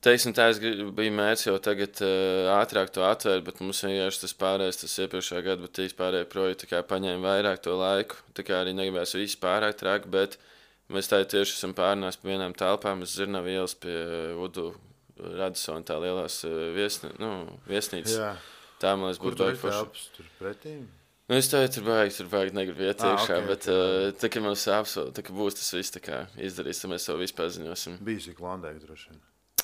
teiksim tā, bija mērķis jau tagad ātrāk to atvērt, bet mums vienkārši tas pārējais, tas iepriekšējā gada, bet tīs pārējie projekti paņēma vairāk to laiku, tā kā arī negribēs visi pārāk trāk, bet mēs tā tieši esam pārnās pa vienām telpām, es Zirnavu ielas pie Udu Radisona tā lielās viesnīcas. Jā. Tā, man liekas, būtu baigi forši. Kur tur pretīm? Es tur baigi negribu iet iekšā, bet tā, ka mums apsolu, tā, ka būs tas viss tā kā izdarīs, tad mēs to visu paziņosim. Bijusi Klondēka droši vien.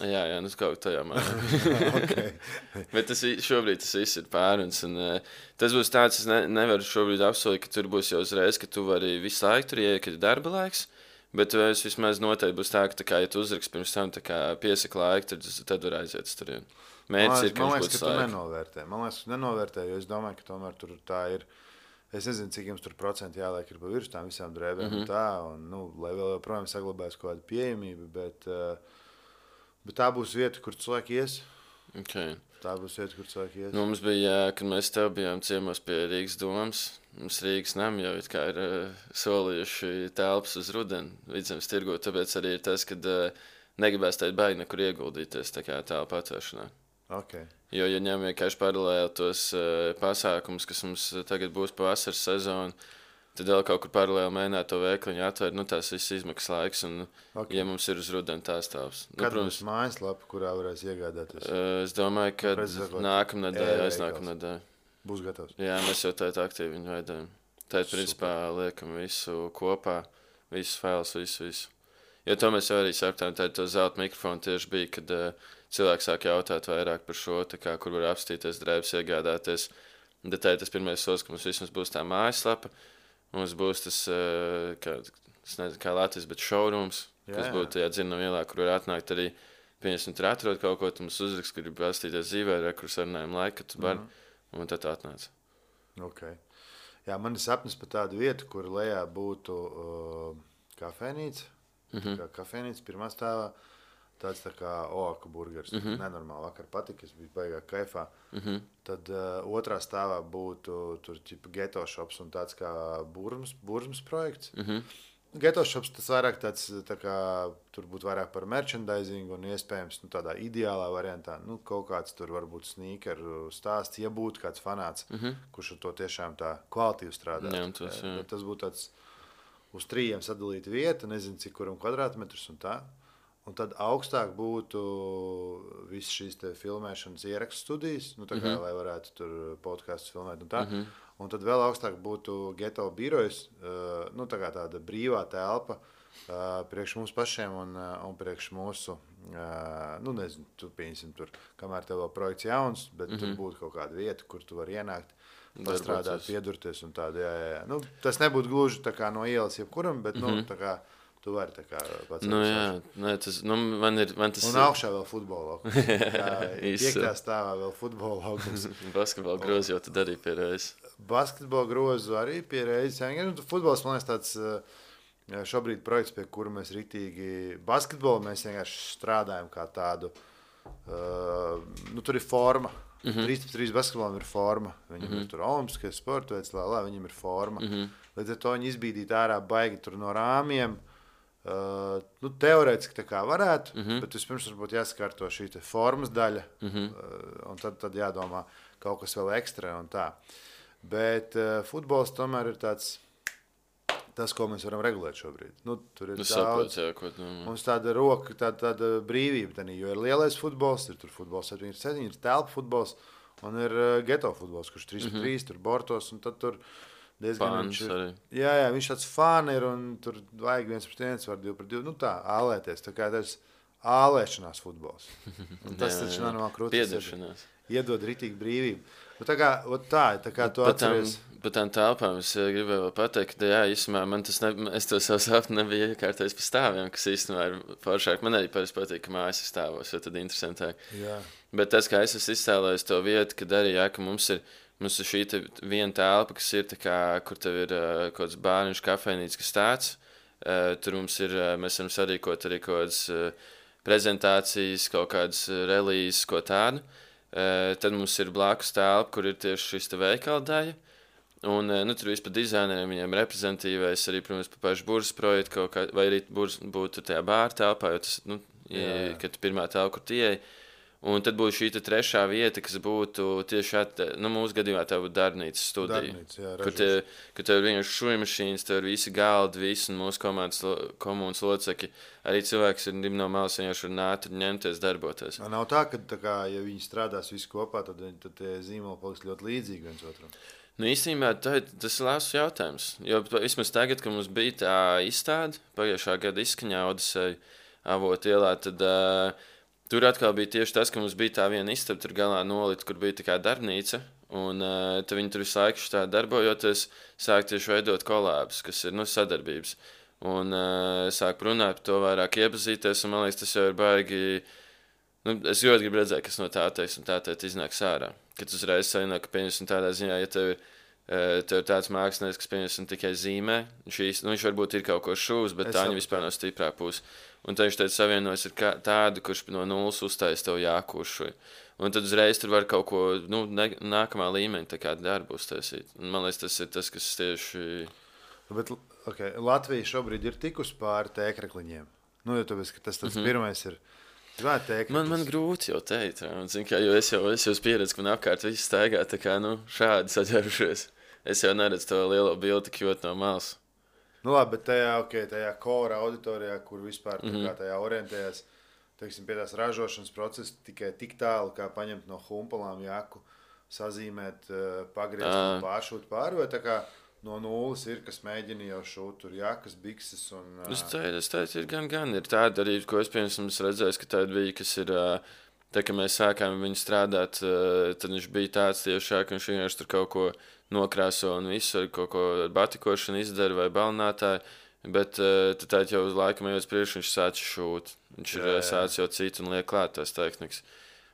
Jā, kaut tajā mājā. Okay. Bet šobrīd tas viss ir pāruns, un tas būs tāds, es nevaru šobrīd apsolīt, ka tur būs jau uzreiz, ka tu vari visu laiku tur ieiet, kad ir darba laiks. Bet es vismaz noteikti būs tā, ka, ja tu uzrakst pirms tam piesaka laiku, tad var aiziet uz turieni. Mērķis ir, ka viņš būtu laiku. Man liekas, ka tu nenovērtē, jo es domāju, ka tomēr tur tā ir, es nezinu, cik jums tur procenti jāliek ir pa virs tām visām drēbēm un tā, un, lai vēl joprojām saglabājas kaut kāda pieejamība, bet tā būs vieta, kur cilvēki ies. Okay. Tā būs vieta, kur cilvēki ies. Mums bija, kad mēs tev bijām ciemos pie Rīgas domas, mums Rīgas nam jau ir solījuši telpas uz rudeni Vidzemes tirgu, tāpēc arī ir tas, kad negribēs teikt baigi nekur ieguldīties tā kā telpa atvēršanā. Okay. Jo, ja ņem vienkārši paralēli tos pasākumus, kas mums tagad būs pa vasaras sezonu, tad vēl kaut kur paralēli mēģināt to veikliņu atvērt, tās visas izmaksas laiks, un ja mums ir uz rudeni tās telpas. Kad būs mājaslapa, kurā varēs iegādāties? Es domāju, ka nākamnedēļ, aiznākamnedēļ. Būs gatavs? Jā, mēs jau tēt aktīvi viņu veidojam. Tēt, principā, liekam visu kopā, visus failus, visu. Jo to mēs jau arī sapratām, to zelta mikrofonu tieši bija, kad cilvēki sāk jautāt vairāk par šo, kur var apstīties drēbes, iegādāties. Un tad tā ir tas pirmais solis, ka mums vismaz būs tā mājaslapa. Mums būs tas, es nezinu, kā Latvijas, bet showrooms, kas būtu tajā dzirnam ielā, kur var atnākt arī, pieņemsim, tur atrod kaut ko, tu mums uzrakst, ka grib pastīties dzīvē, kur sarunājam laiku, ka tu vari, un tad atnāc. Okay. Jā, man ir sapnis par tādu vietu, kur lejā būtu kafejnīca. Kā kafejnīca pirmā stāvā. Tāds tā kā oaka burgers. Nenormāli vakar patika, es biju baigā kaifā. Tad otrā stāvā būtu tur ķipa geto shops un tāds kā burzmas projekts. Geto shops tas vairāk tāds, tā kā tur būtu vairāk par merchandising un iespējams tādā ideālā variantā. Kaut kāds tur varbūt sneakeru stāsts, ja būtu kāds fanāts, kurš ar to tiešām tā kvalitīvi strādā. Tas būtu tāds uz 3 sadalīta vieta, nezinu cik kuram kvadrātmetrus un tā. Un tad augstāk būtu visas šīs filmēšanas ierakstu studijas, kā, lai varētu tur podkastus filmēt un tā. Un tad vēl augstāk būtu geto birojas, kā tāda brīvā telpa priekš mums pašiem un priekš mūsu, nezinu, tu pieņemsim tur, kamēr tev vēl projekts jauns, bet tur būtu kaut kāda vieta, kur tu vari ienākt, pastrādāt, piedurties un tāda, jā. Tas nebūtu gluži tā kā no ielas jebkuram, bet, tā kā, tu vari tā kā pats. Man tas un augšā vēl futbola laukums. 5. stāvā vēl futbola laukums. Basketbola grozu jau tad arī pie reizes. Basketbola grozu arī pie reizes. Futbols, man liekas, tāds šobrīd projekts, pie kura mēs ritīgi basketbolu, mēs vienkārši strādājam kā tādu, tur ir forma. 3-3 basketbolam ir forma. Viņam ir tur olimpiskais sporta veids, viņam ir forma. Līdz ar to viņi izbīdīt ārā baigi tur no rāmiem. Teorētiski tā kā varētu, bet vispirms varbūt jāsakārto šī formas daļa, un tad jādomā kaut kas vēl ekstra un tā. Bet futbols tomēr ir tāds, tas, ko mēs varam regulēt šobrīd. Tur ir daudz, mums tāda roka, tāda brīvība, jo ir lielais futbols, ir tur futbols 7-7, ir telpa futbols, un ir geto futbols, kurš 3-3, tur bortos, un tad tur diezgan viņš tāds fāni ir, un tur vajag 1-1, var 2-2, tā, ālēties, tā kā tas ālēšanās futbols. Un tas taču normāli krūtis iedod ritīgi brīvību. Tā kā tu atceries. Par tām telpām es gribēju vēl pateikt, ka īstenībā man es to savu sapni nebiju iekārtojis pa stāviem, kas īstenībā ir foršāk. Man arī parasti patīk, ka mājas ir stāvos, jo tad interesantāk. Jā. Bet tas, kā es esmu iztēlējis to vietu, kad arī, ka mums ir šī viena telpa, kas ir tā kā, kur tev ir kaut kāds bārniņš kafejnīca, kas tāds. Tur mums ir, mēs varam sarīkot arī kaut kādas prezentācijas, kaut kādas relīzes, ko tādu. Tad mums ir blakus telpa, kur ir tieši šis veikala daļa. Un tur vispār dizaineriem viņiem reprezentatīvais arī, protams, par pašu burzas projektu, vai arī būtu tajā bāra telpā, jo tas, kad pirmā telpa, kur tie un tad būtu šī trešā vieta, kas būtu tieši mūsu gadījumā tā būtu darbnīcas studija. Kur tev ir vienkārši šujmašīnas, tev ir visi galdi, visi un mūsu komunas locekļi. Arī cilvēks ir no malas vienkārši var nākt un ņemties, darboties. Nav tā, ka ja viņi strādās visi kopā, tad tie zīmoli paliks ļoti līdzīgi viens otram. Īstenībā tas ir labs jautājums. Jo vismaz tagad, kad mums bija tā izstāde, pagājušā gada izskaņā Odiseja Avotu ielā, tad tur atkal bija tieši tas, ka mums bija tā viena istaba tur galā nolita, kur bija tā kā darbnīca, un tad viņi tur visu laiku tā darbojoties, sāk tieši veidot kolābus, kas ir sadarbības. Un sāk runāt par to vairāk iepazīties, un man liekas, tas jau ir baigi. Es ļoti gribu redzēt, kas no tā teiks, un tā iznāks ārā. Kad uzreiz savināk, ka pieņemsim tādā ziņā, ja tev ir tāds mākslinieks, kas pieņemsim tikai zīmē, viņš varbūt ir kaut ko šūs, bet tā viņa vispār nav stiprā puse. Un tad viņš teica, savienojas ar tādu, kurš no nulles uzstājas tev jākūšoja. Un tad uzreiz tur var kaut ko nākamā līmeņa tā kā darbu uztaisīt. Un man liekas, tas ir tas, kas tieši... Bet, Latvija šobrīd ir tikus pāri tēkrekliņiem. Jo tāpēc, ka tas pirmais ir... Man grūti jau teikt, jo es jau pieredzu, ka man apkārt viss staigā tā kā šādi saģērušies. Es jau neredzu to lielo bildi tik ļoti no malas. Labi, bet tajā kora auditorijā, kur vispār tajā orientējas, teiksim, pie tās ražošanas procesa tikai tik tālu, kā paņemt no humpalām jaku, sazīmēt, pagriezt un pāršūt pāri, vai tā kā no nulles ir, kas mēģina jau šūt tur jakas, bikses un... Es teicu, ir gan. Ir tāda arī, ko es, piemēram, redzēju, ka tāda bija, kas ir Tā kā mēs sākām viņu strādāt, tad viņš bija tāds tiešāk, ka viņš vienkārši tur kaut ko nokrāso un visu ar kaut ko batikošanu izdara vai balinātāju. Bet tad jau uz laikam ejot priekš, viņš sāca šūt. Viņš ir sācis jau citu un liek klāt tās tehnikas.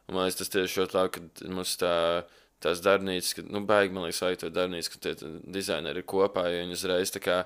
Un man liekas, tas tieši ļoti labi, ka mums tās darbnīcas, baigi, man liekas, vajag to darbnīcu, ka tie dizaineri ir kopā, jo viņi uzreiz tā kā,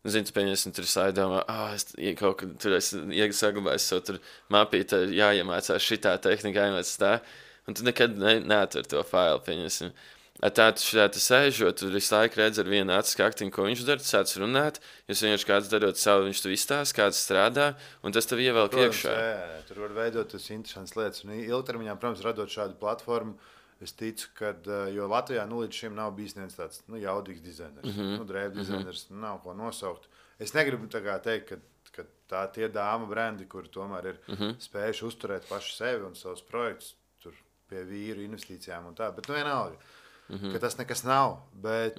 zinu, pieņemsim, tur saidomā, es kaut kad tur saglabāju savu tur mapīti, jāiemācās šitā tehnika, jāiemācās tā, un tu nekad neatver to failu, pieņemsim. Tā tu šitā sēžot, tu visu laiku redz ar vienu acu skaktiņu, ko viņš dara, tu sāc runāt, jūs vienkārši kāds darot savu, viņš tu izstāst, kāds strādā, un tas tev ievelk iekšā. Jā, tur var veidot tas interesants lietas, un ilgtermiņā, protams, radot šādu platformu, es ticu, ka, jo Latvijā līdz šim nav bijis viens tāds jaudīgs dizainers, drēbu dizainers, nav ko nosaukt. Es negribu teikt, ka tie dāma brendi, kuri tomēr ir spējuši uzturēt paši sevi un savus projektus, tur pie vīru investīcijām un tā, bet vienalga. Ka tas nekas nav, bet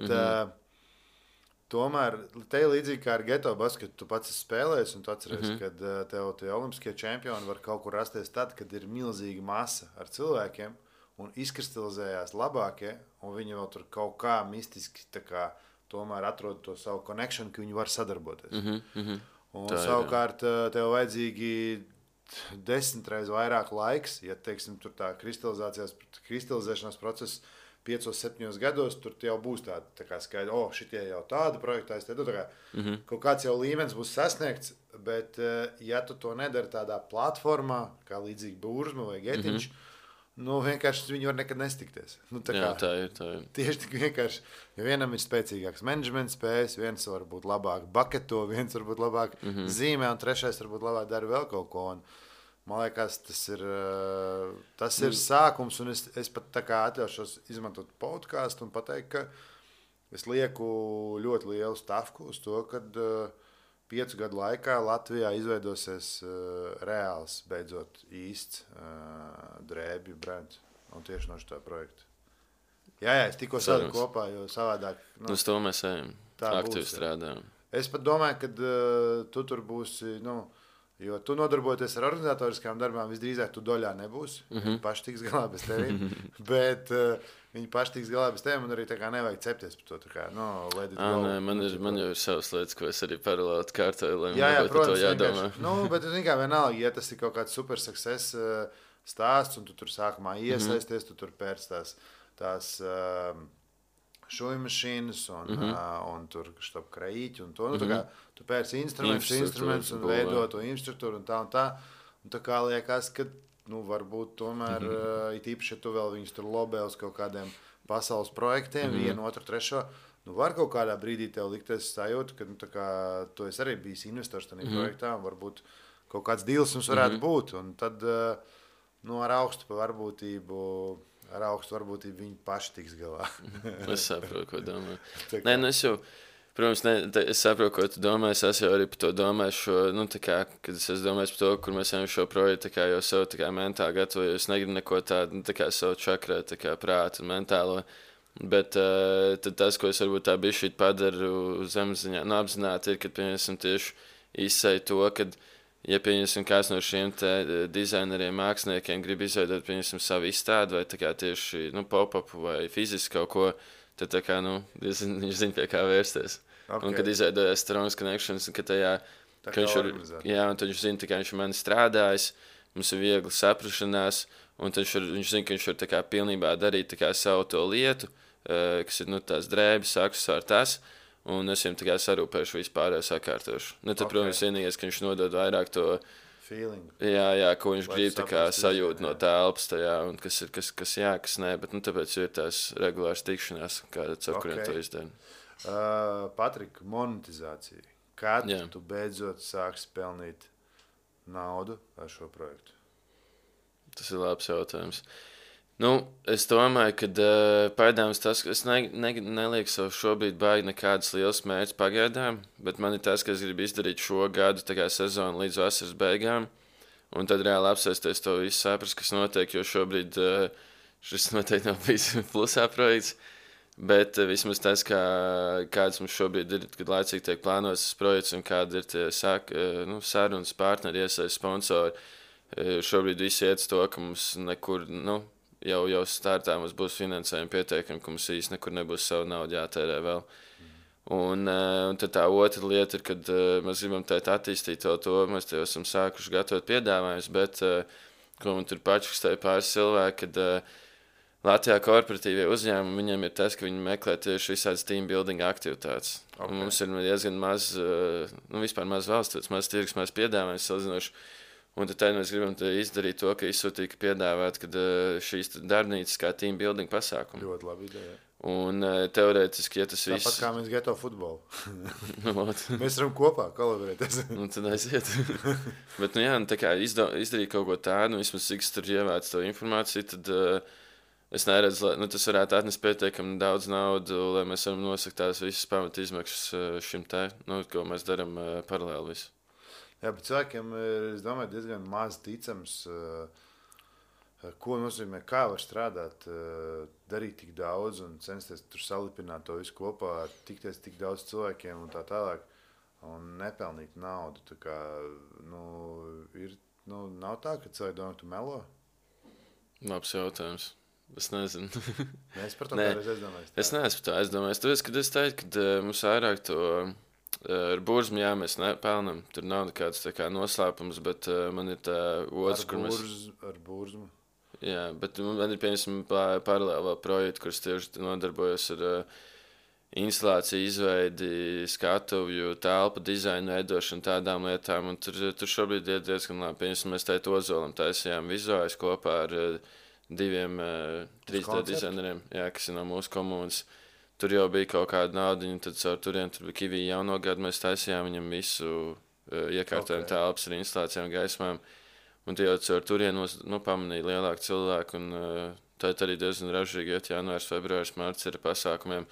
tomēr te līdzīgi kā ar geto basketu, tu pats spēlējies un tu atceries, kad tev tie olimpiskie čempioni var kaut kur rasties tad, kad ir milzīga masa ar cilvēkiem un izkristalizējās labākie, un viņi vēl tur kaut kā mistiski tā kā tomēr atrod to savu connection, ka viņi var sadarboties. Un tā savukārt tev vajadzīgi 10 reizes vairāk laiks, ja, teiksim, tur tā kristalizēšanās process 5-7 gados, tur jau būs tā kā skaidri, šitie jau tāda projekta, kaut kāds jau līmenis būs sasniegts, bet ja tu to nedari tādā platformā, kā līdzīgi Burzma vai Getiņš, vienkārši viņi var nekad nestikties. Jā, tā ir. Tieši tik vienkārši, ja vienam ir spēcīgāks menedžmenta spējas, viens var būt labāk baketo, viens var būt labāk zīmē, un trešais varbūt labāk dara vēl kaut ko. Man liekas, tas ir sākums, un es pat tā kā atļaušos izmantot podcastu un pateikt, ka es lieku ļoti lielu stavku uz to, kad 5 gadu laikā Latvijā izveidosies reāls, beidzot īsts drēbju brands, un tieši no šitā projekta. Jā, es tikko sādu kopā, jo savādāk... Uz to mēs ejam, aktīvi strādājam. Es pat domāju, ka tu tur būsi, jo tu nodarboties ar organizatoriskām darbām, visdrīzāk tu doļā nebūsi. Viņi paši tiks galā bez tevīm, bet viņi paši tiks galā bez tevīm un arī tā kā nevajag cepties par to. Tā kā, let it go. Man jau ir savas lietas, ko es arī paralēli kārtoju, lai jā, man par to jādomā. Bet kā vienalga, ja tas ir kaut kāds super success stāsts un tu tur sākumā iesaisties, tu tur pērc tās šuju mašīnas un tur štab kraiķi un to. Tu pērci instrumentus un veido to infrastruktūru un tā. Un tā kā liekas, ka varbūt tomēr, it īpaši, ja tu vēl viņus tur lobē uz kaut kādiem pasaules projektiem, vienu, otru, trešo, var kaut kādā brīdī tev likties sajūta, ka tu esi arī bijis investors tajā projektā un varbūt kaut kāds deals mums varētu būt. Un tad ar augstu varbūtību viņi paši tiks galā. Es saprotu, ko domāju. Nē, es jau, protams, es saprotu, ko tu domā. Es jau arī par to domāju šo, kad es domāju par to, kur mēs ejam šo projektu, jau savu mentāli gatavoju. Es negribu neko tādu, savu čakrē, prātu un mentālo. Bet tad tas, ko es varbūt tā bišķīt padaru zemziņā, apzināti ir, kad, piemēram, tieši izsēju to, kad ja, pieņemsim, kāds no šiem dizaineriem, māksliniekiem grib izveidot, pieņemsim, savu izstādi vai tieši pop-upu vai fiziski kaut ko, tad viņš zina, pie kā vērsties. Okay. Un kad izveidojās Strong Connections, ka viņš zina, ka viņš ir mani strādājis, mums ir viegli saprašanās, un viņš zina, ka viņš var pilnībā darīt savu to lietu, kas ir tās drēbes, aksesuāri tas. Un es viņam sarūpēšu vispārējo sakārtošu. Tad, protams, vienīgais, ka viņš nodod vairāk to feeling. Jā, ko viņš grib sajūt no telpas tajā, un kas jā, kas nē, bet tāpēc ir tās regulāras tikšanās, kādas, ar kuriem to izdara. Patrik, monetizācija. Kad tu beidzot sāksi pelnīt naudu ar šo projektu? Tas ir labs jautājums. Es domāju, ka pagaidām tas, es nelieku sev šobrīd baigi nekādas liels mērķis pagaidām, bet man ir tas, ka es gribu izdarīt šo gadu sezonu līdz vasaras beigām, un tad reāli apsēsties to visu saprast, kas notiek, jo šobrīd šis noteikti nav bijis plusā projekts, bet vismaz tas, kāds mums šobrīd ir, kad laicīgi tiek plānots tas projekts un kāda ir tie sarunas partneri, iesaist sponsori, šobrīd visi iet to, ka mums nekur, jau startā mums būs finansējumi pietiekami, ka mums īsti nekur nebūs savu naudu jātērē vēl. Un tad tā otra lieta ir, kad mēs gribam attīstīt to, mēs jau esam sākuši gatavot piedāvājumus, bet, ko man tur pačukstēja pāris cilvēki, kad Latvijā korporatīvie uzņēmumi, viņiem ir tas, ka viņi meklē tieši visādas team building aktivitātes. Okay. Mums ir diezgan maz, vispār maz valsts, maz tirgus, maz piedāvājums salīdzinoši. Un tad mēs gribam izdarīt to, ka izsūtīt, piedāvāt, kad šīs darbnīcas kā team building pasākumi. Ļoti labi ideja. Un teorētiski, ja tas viss... Tāpat kā mēs geto futbolu. Mēs varam kopā kolaborēties. Tad aiziet. Bet, tā kā izdarīt kaut ko tādu, vismaz cik es tur ievācu to informāciju, tad es neredzu, tas varētu atnest pietiekami daudz naudu, lai mēs varam nosakt tās visas pamat izmaksas šim ko mēs darām paralēli visu. Jā, bet cilvēkiem ir, es domāju, diezgan maz ticams, ko nozīmē, kā var strādāt, darīt tik daudz un censties tur salipināt to visu kopā, tikties tik daudz cilvēkiem un tā tālāk, un nepelnīt naudu. Tā kā, nav tā, ka cilvēki domā, tu melo? Labs jautājums. Es nezinu. Es par to kādreiz aizdomājos. Es neesmu par to aizdomājos. Tāpēc, kad es teiktu, ka mums vairāk to ar burzmu, mēs nepelnam. Tur nav nekāds noslēpums, bet man ir tā otrs, kur mēs... Ar burzmu? Jā, bet man ir, piemēram, paralēli projekti, kurus tieši nodarbojos ar instalāciju, izveidi, skatuvju, telpu, dizainu, veidošanu, tādām lietām. Un tur šobrīd ir diezgan labi. Piemēram, mēs Ozolam taisījām vizuālis kopā ar 3D dizaineriem, kas ir no mūsu komunas. Tur jau bija kaut kāda naudiņa, tad caur turien tur bija Kivī jauno gadu, mēs taisījām viņam visu iekārtojumu telpas ar instalācijām, gaismām. Un tie jau caur turien pamanīja lielāku cilvēku, un tā arī diezgan ražīgi iet janvārs, februārs, marts ir pasākumiem.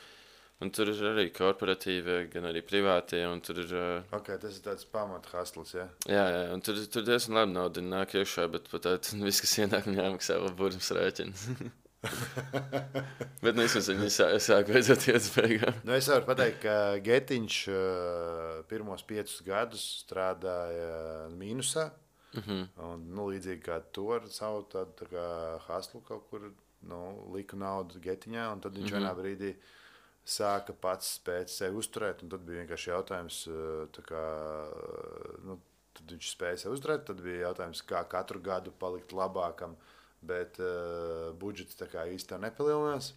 Un tur ir arī korporatīvie, gan arī privātie, un tur ir... Tas ir tāds pamat hustles, ja? Jā, un tur diezgan labi naudiņa nāk iekšā, bet pat viss, kas ienāk, jāmaksā vēl burmas rēķins. Bet vismaz viņi sāk beidzot iet uz beigām. Es varu pateikt, ka Getiņš pirmos 5 gadus strādāja mīnusā, un līdzīgi kā to ar savu tādu tā kā hustlu kaut kur, liku naudu Getiņā, un tad viņš vienā brīdī sāka pats spēt sevi uzturēt, un tad bija vienkārši jautājums, tad viņš spēja sevi uzturēt, tad bija jautājums, kā katru gadu palikt labākam, bet budžets tā kā īsti tā nepalielinās.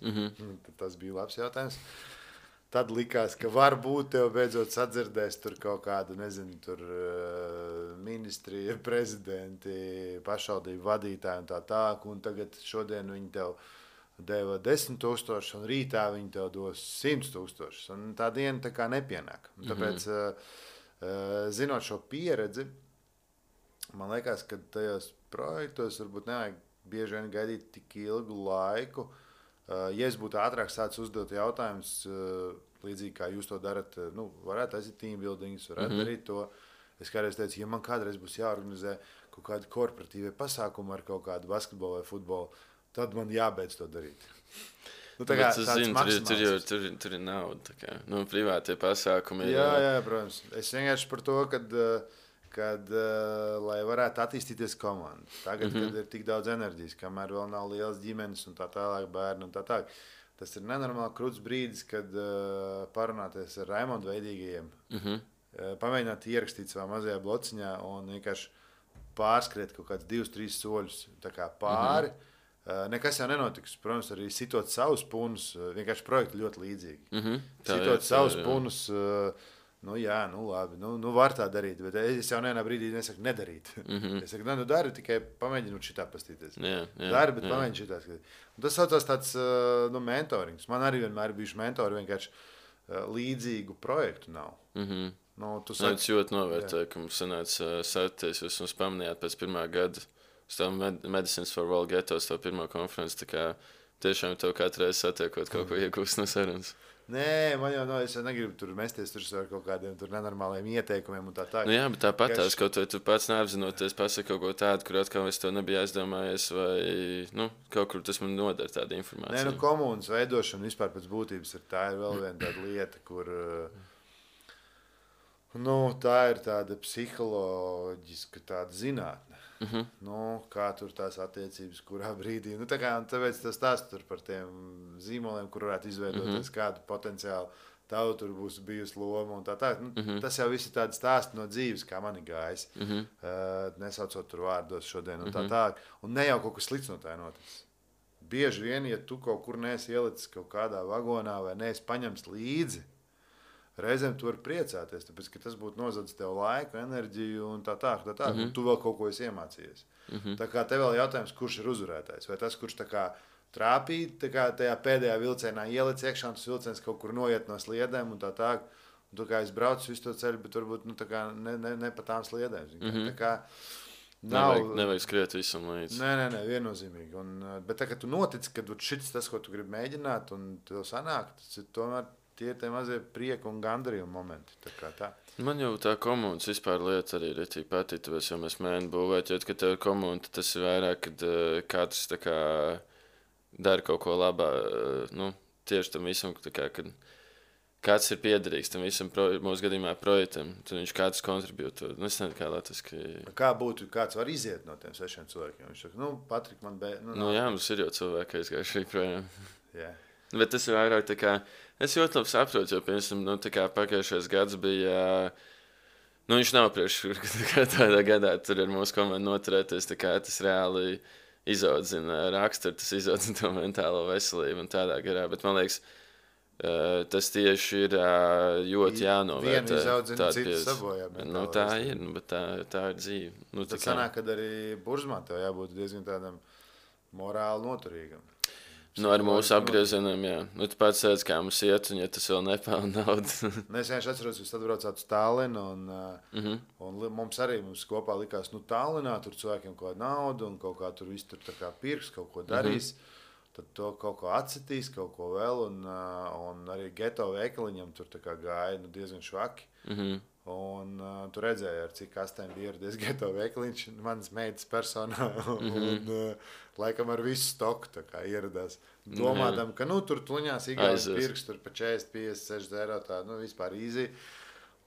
Tas bija labs jautājums. Tad likās, ka varbūt tev beidzot sadzirdēs tur kaut kādu, nezinu, tur ministrija, prezidenti, pašvaldību vadītāji un tā tālāk, un tagad šodien viņi tev deva 10 000, un rītā viņi tev dos 100 000, un tā diena tā kā nepienāk. Tāpēc, zinot šo pieredzi, man liekas, ka tajos projektos varbūt nevajag bieži vien gaidīt tik ilgu laiku. Ja es būtu ātrāk sācis uzdot jautājumus, līdzīgi kā jūs to darat, varētu aiziet team buildings, varētu darīt to. Es kādreiz teicu, ja man kādreiz būs jāorganizē kaut kādi korporatīvie pasākumi ar kaut kādu basketbolu vai futbolu, tad man jābeidz to darīt. Tur ir nauda. Privātie pasākumi ir... Jā, protams. Es vienkārši par to, kad lai varētu attīstīties komanda. Tagad, kad ir tik daudz enerģijas, kamēr vēl nav lielas ģimenes un tā tālāk bērni un tā tālāk. Tas ir nenormāli krūts brīdis, kad parunāties ar Raimondu Veidīgajiem, pamēģināt ierakstīt savā mazajā blociņā un vienkārši pārskriet kaut kāds 2-3 soļus tā kā pāri. Nekas jau nenotiks. Protams, arī sitot savus punus, vienkārši projekti ļoti līdzīgi. Sitot savus punus, labi, var tā darīt, bet es jau vienā brīdī nesaku nedarīt. Es saku, dari, tikai pamēģinot šitā pastīties. Dari, bet pamēģini šitā skatīt. Un tas saucās tāds mentorings. Man arī vienmēr bijuši mentori, vienkārši līdzīgu projektu nav. Es ļoti novērtēju, ka mums sanāca sarties, jūs mums pamanījāt pēc pirmā gada. Medicines for World Getos, to pirmo konferenci, tā kā tiešām tev katru reizi satiekot kaut ko iegūst no sarunas. Nē, man jau es negribu tur mesties ar kaut kādiem tur nenormāliem ieteikumiem un tā tā. Jā, bet tāpat tās, kaut vai tu pats neapzinoties pasaka kaut ko tādu, kur atkal es to nebiju aizdomājies, vai, kaut kur tas man noder tāda informācija. Nē, komunas veidošana vispār pēc būtības tā ir vēl viena tāda lieta, kur, tā ir tāda psiholoģiska tāda zinātne. Kā tur tās attiecības, kurā brīdī. Tāpēc tas stāsts tur par tiem zīmoliem, kur varētu izveidoties kādu potenciālu. Tev tur būs bijusi loma un tā. Tas jau viss ir tāds stāsts no dzīves, kā man ir gājis. Nesaucot tur vārdos šodien un tā. Un ne jau kaut kas slikts no tā noticis. Bieži vien, ja tu kaut kur neesi ielicis kaut kādā vagonā vai neesi paņemts līdzi, reizēm tu vari priecāties, tāpēc, ka tas būtu nozadzis tev laiku, enerģiju un tā. Un tu vēl kaut ko esi iemācījies. Tā kā tev vēl jautājums, kurš ir uzvarētājs? Vai tas, kurš tā kā trāpīja tajā pēdējā vilcienā ielic iekšā, un tas vilciens kaut kur noiet no sliedēm un tā. Un tu kā es braucu visu to ceļu, bet varbūt ne pa tām sliedēm. Tā kā nevajag skriet visam līdzi. Nē, viennozīmīgi. Bet tā, ka tu notici, ka šis tas, ko tu gribi mēģināt, un tev sanāk, tas ir tomēr tie mazie prieka un gandarījuma momenti. Tā. Man jau tā komunas vispār lieta arī ir patīk, jo mēs mēģinām būvēt, jo, kad tev ir komuna, tas ir vairāk, kad katrs tā kā dara kaut ko labā, tieši tam visam, kad kāds ir piederīgs tam visam mūsu gadījumā projektam, tad viņš kāds kontribūtu. Es nezinu, kā latviski. Kā būtu, kāds var iziet no tiem 6 cilvēkiem? Viņš saka, Patrik, man jā, mums ir jau cilvēki aizgājuši projām. Yeah. Bet tas ir vairāk tā kā, es ļoti labi saprotu, jo, piemēram, pagājušais gads bija, viņš nav priekš, tādā gadā tur ar mūsu komandu noturēties, tā kā tas reāli izaudzina raksturu, tas izaudzina to mentālo veselību un tādā garā, bet man liekas, tas tieši ir ļoti jānovērtē. Vienu izaudzina, citu sabojā. Tā ir, bet tā ir dzīve. Tas sanāk, kad arī Burzmā tev jābūt diezgan tādam morāli noturīgam. Ar mūsu apgriezieniem, jā. Tu pats sēdz, kā mums iet, un ja tas vēl nepelna naudu. Es vienkārši atceros, jūs atbraucāt uz Tallinu, un mums kopā likās, Tallinā tur cilvēkiem kaut kāda nauda, un kaut kā tur viss tur tā kā pirks, kaut ko darīs. Tad to kaut ko atsitīs, kaut ko vēl, un arī geto veikaliņam tur tā kā gāja diezgan švaki. Un tu redzēji, ar cik kastēm bija ieradies geto veikaliņš, manas meitas personā, un laikam ar visu stoku tā kā ieradās. Domādam, ka tur tuņās igaunis pirks, tur pa 40, 50, 60 eiro tā, vispār easy.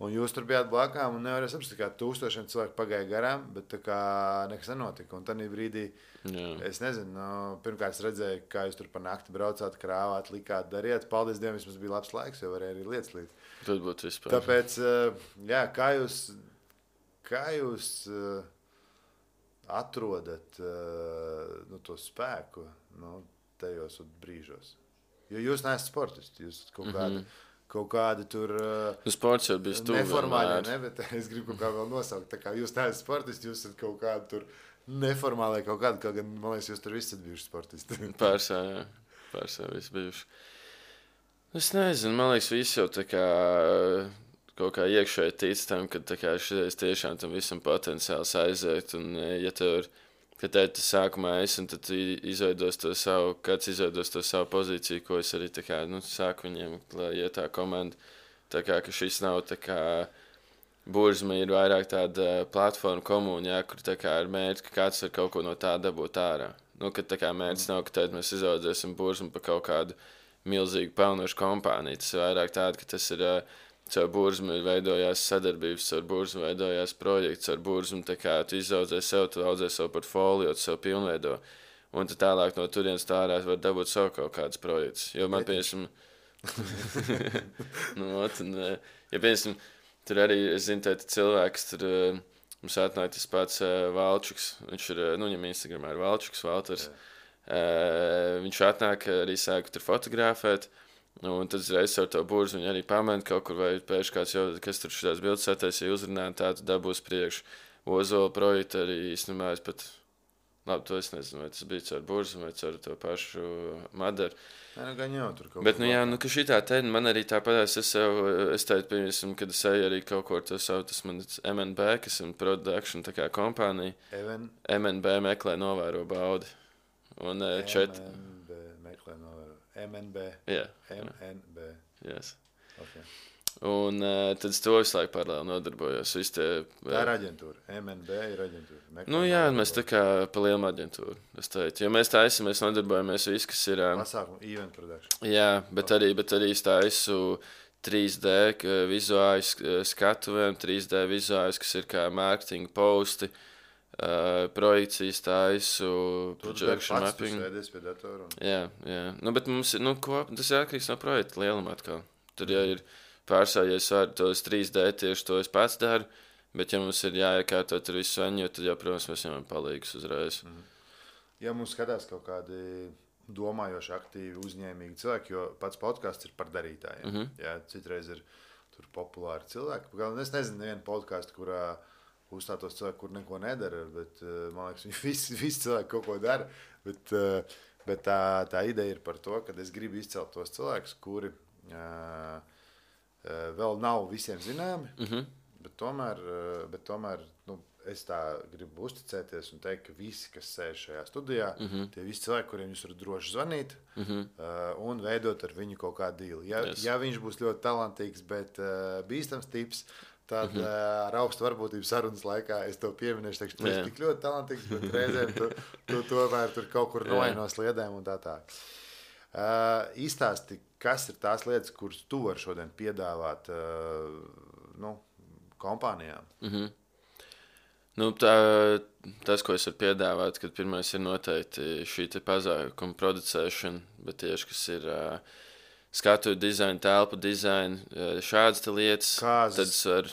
Un jūs tur bijāt blakām un nevarēja saprast, kā 1000 cilvēku pagāja garām, bet tā kā nekas nenotika. Un tādā brīdī, es nezinu, pirmkārt es redzēju, kā jūs tur pa nakti braucāt, krāvāt, likāt, dariet. Paldies Dievam, vismaz bija labs laiks, jo varēja arī lietas līt. Tad būtu vispār. Tāpēc, kā jūs atrodat to spēku tajos brīžos? Jo jūs neesat sportisti, jūs kaut kādi tur sports jau bija stūri. Neformāli, bet es gribu kaut kā vēl nosaukt. Tā kā jūs neesat sportisti, jūs esat kaut kādi tur neformāli kaut gan, man liekas, jūs tur visi esat bijuši sportisti. Pārsā visi bijuši. Es nezinu, man liekas, visi jau tā kā kaut kā iekšēji tic tam, ka tā kā šitais tiešām tam visam potenciāls aiziet, un ja tev ir, ka tev tas sākumā esi, un tad tu izveidos to savu pozīciju, ko es arī tā kā, sāku viņiem, lai iet tā komanda, tā kā, ka šis nav tā kā, Burzma ir vairāk tāda platforma komūna, kur tā kā ir mērķi, ka kāds var kaut ko no tā dabūt ārā. Ka tā kā mērķis nav, ka tad mēs izaudzēsim Burzmu pa kaut kādu milzīgu pelnošu kompāniju. Tas ir vairāk tāda, ka tas ir caur Burzmu veidojās sadarbības, caur Burzmu veidojās projekts, caur Burzmu tā kā tu izaudzē sev, tu audzē savu portfolio, tu sev pilnveido. Un tu tālāk no turienes tārā var dabūt savu kaut kādus projektus. Jo man, piemēram, piemēram, tur arī, es zinu, tādi cilvēks, tur mums atnāk tas pats Valčuks, viņš ir, viņam Instagramā ir Valčuks, Valters. Viņš atnāk arī sāka tur fotografēt, un tad reiz ar to Burzmu viņi arī pamēģina kaut kur, vai pēkšņi kāds jau, kas tur šitās bildes sataisīja uzrunāt, tā tu dabūs priekš. Ozola projektu arī īstenībā es pat, labi, to es nezinu, vai tas bija caur Burzmu vai caur to pašu Madaru. Gan jau tur kaut bet, ka šitā te, man arī tāpatās, es teicu, piemēram, kad es eju arī kaut ko ar to savu, tas man MNB, kas ir production tā kā kompānija. MNB meklē novēro baudi. Un MNB meklē novēro. MNB. Jā. MNB. Yes. Okay. Un tad es to visu laiku paralēli nodarbojos. Tā ir aģentūra. MNB ir aģentūra. Mēs tā kā pa lielu aģentūru. Es teicu, jo mēs tā esam, mēs nodarbojamies viss, kas ir... Pasākumu, event production. Jā, bet arī es tā esmu 3D vizuāļu skatuvēm, 3D vizuāļus, kas ir kā mārketinga posti, projekcijas taisu, projection mapping. Tur pie datora. Jā. Bet mums ir, tas ir atkarīgs no projekta lieluma atkal. Tur ir pārsvarā, ja es varu tos 3D tieši to es pats daru, bet ja mums ir jāiekārto tur visu saņu, tad jau, protams, mēs viņam palīgus uzreiz. Ja mums skatās kaut kādi domājoši, aktīvi, uzņēmīgi cilvēki, jo pats podcasts ir par darītājiem. Jā, citreiz ir tur populāri cilvēki. Es nezinu nevienu podcastu, kurā uzstātos cilvēki, kur neko nedara, bet man liekas, visi cilvēki kaut ko dara. Bet tā ideja ir par to, ka es gribu izcelt tos cilvēkus, kuri vēl nav visiem zināmi, bet tomēr es tā gribu uzticēties un teikt, ka visi, kas sēž šajā studijā, tie visi cilvēki, kuriem jūs varat droši zvanīt un veidot ar viņu kaut kādu dīlu. Ja viņš būs ļoti talantīgs, bet bīstams tips, tad ar augstu varbūtību sarunas laikā es to pieminēšu, teikšu, tu esi tik ļoti talantīgs, bet reizēm tu tomēr tur kaut kur noej no sliedēm un tā. Izstāsti, kas ir tās lietas, kuras tu vari šodien piedāvāt kompānijām? Tas, ko es varu piedāvāt, kad pirmais ir noteikti šī te pasākuma producēšana, bet tieši, kas ir skatu dizaina, telpu dizaina, šādas lietas. Kāzas. Tad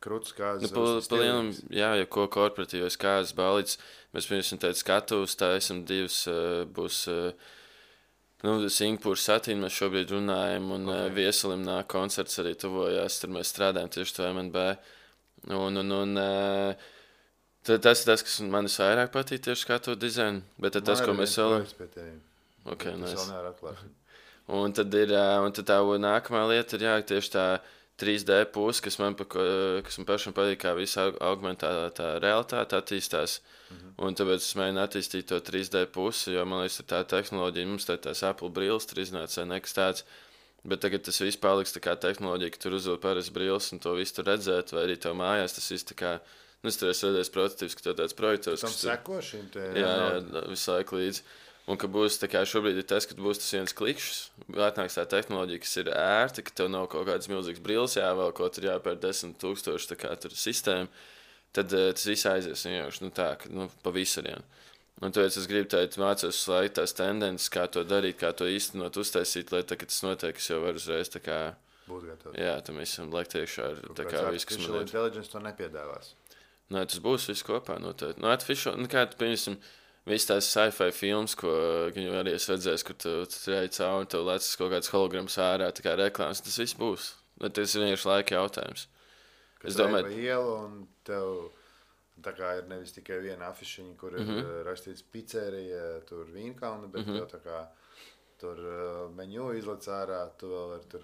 Krūtis kāzas. Ja ko korporatīvais kāzas balīts, mēs pirms teicu skatuves, tā esam divas, būs Singapūras satīna, mēs šobrīd runājam, un Viesalim nāk koncerts arī tuvojās, tur mēs strādājam tieši to MNB. Tas ir tas, kas man vairāk patīk tieši skatu dizainu, bet tas, ko mēs vēl... Okay, nice. Un tad tā nākamā lieta ir tieši tā 3D puse, kas man pašam patīk, kā visa augmentētā realitāte attīstās. Un tāpēc es mēģinu attīstīt to 3D pusi, jo man liekas, tā tehnoloģija, mums tās Apple brilles tur iznāca nekas tāds. Bet tagad tas viss paliks tā kā tehnoloģija, ka tur uzvilk parasti brilles un to visu tur redzēt, vai arī tev mājās tas viss tā kā, es tur esmu redzējis prototīvs, ka tev tāds projektors. Tam seko šim te? Jā, visu laiku līdzi. Un ka būs tā kā šobrīd ir tas, ka būs tas viens klikšs, atnāks tā tehnoloģija, kas ir ērta, ka tev nav kaut kādas milzīgas brilles jāvēl, ko tur jāpēr 10,000 tā kā tur sistēma, tad tas viss aizies vienkārši, pa visariem. Un tāpēc es gribu teikt, mācos uz laiku tās tendences, kā to darīt, kā to īstenot, uztaisīt, lai tā, kad tas notiek, es jau varu uzreiz tā kā... Būt gatavs. Jā, tam visam liekt iekšā ar tā kā viss, kas man ir. Artificial intelligence to nepiedāvās. Nē, tas būs viss kopā noteikti. Kā tu, piemēram, viss tās sci-fi films, ko viņu arī es redzēju, kur tu ej cauri un tev lecis kaut kāds holograms ārā, tā kā reklāmas, tas viss būs. Tas ir vienkārši laika jautājums. Es domāju, pa ielu un tev... Tā kā ir nevis tikai viena afišiņa, kur ir rakstīts pizzerija, tur Vīnkalna, bet tev tā kā tur meņu izlec ārā, tu vēl var tur...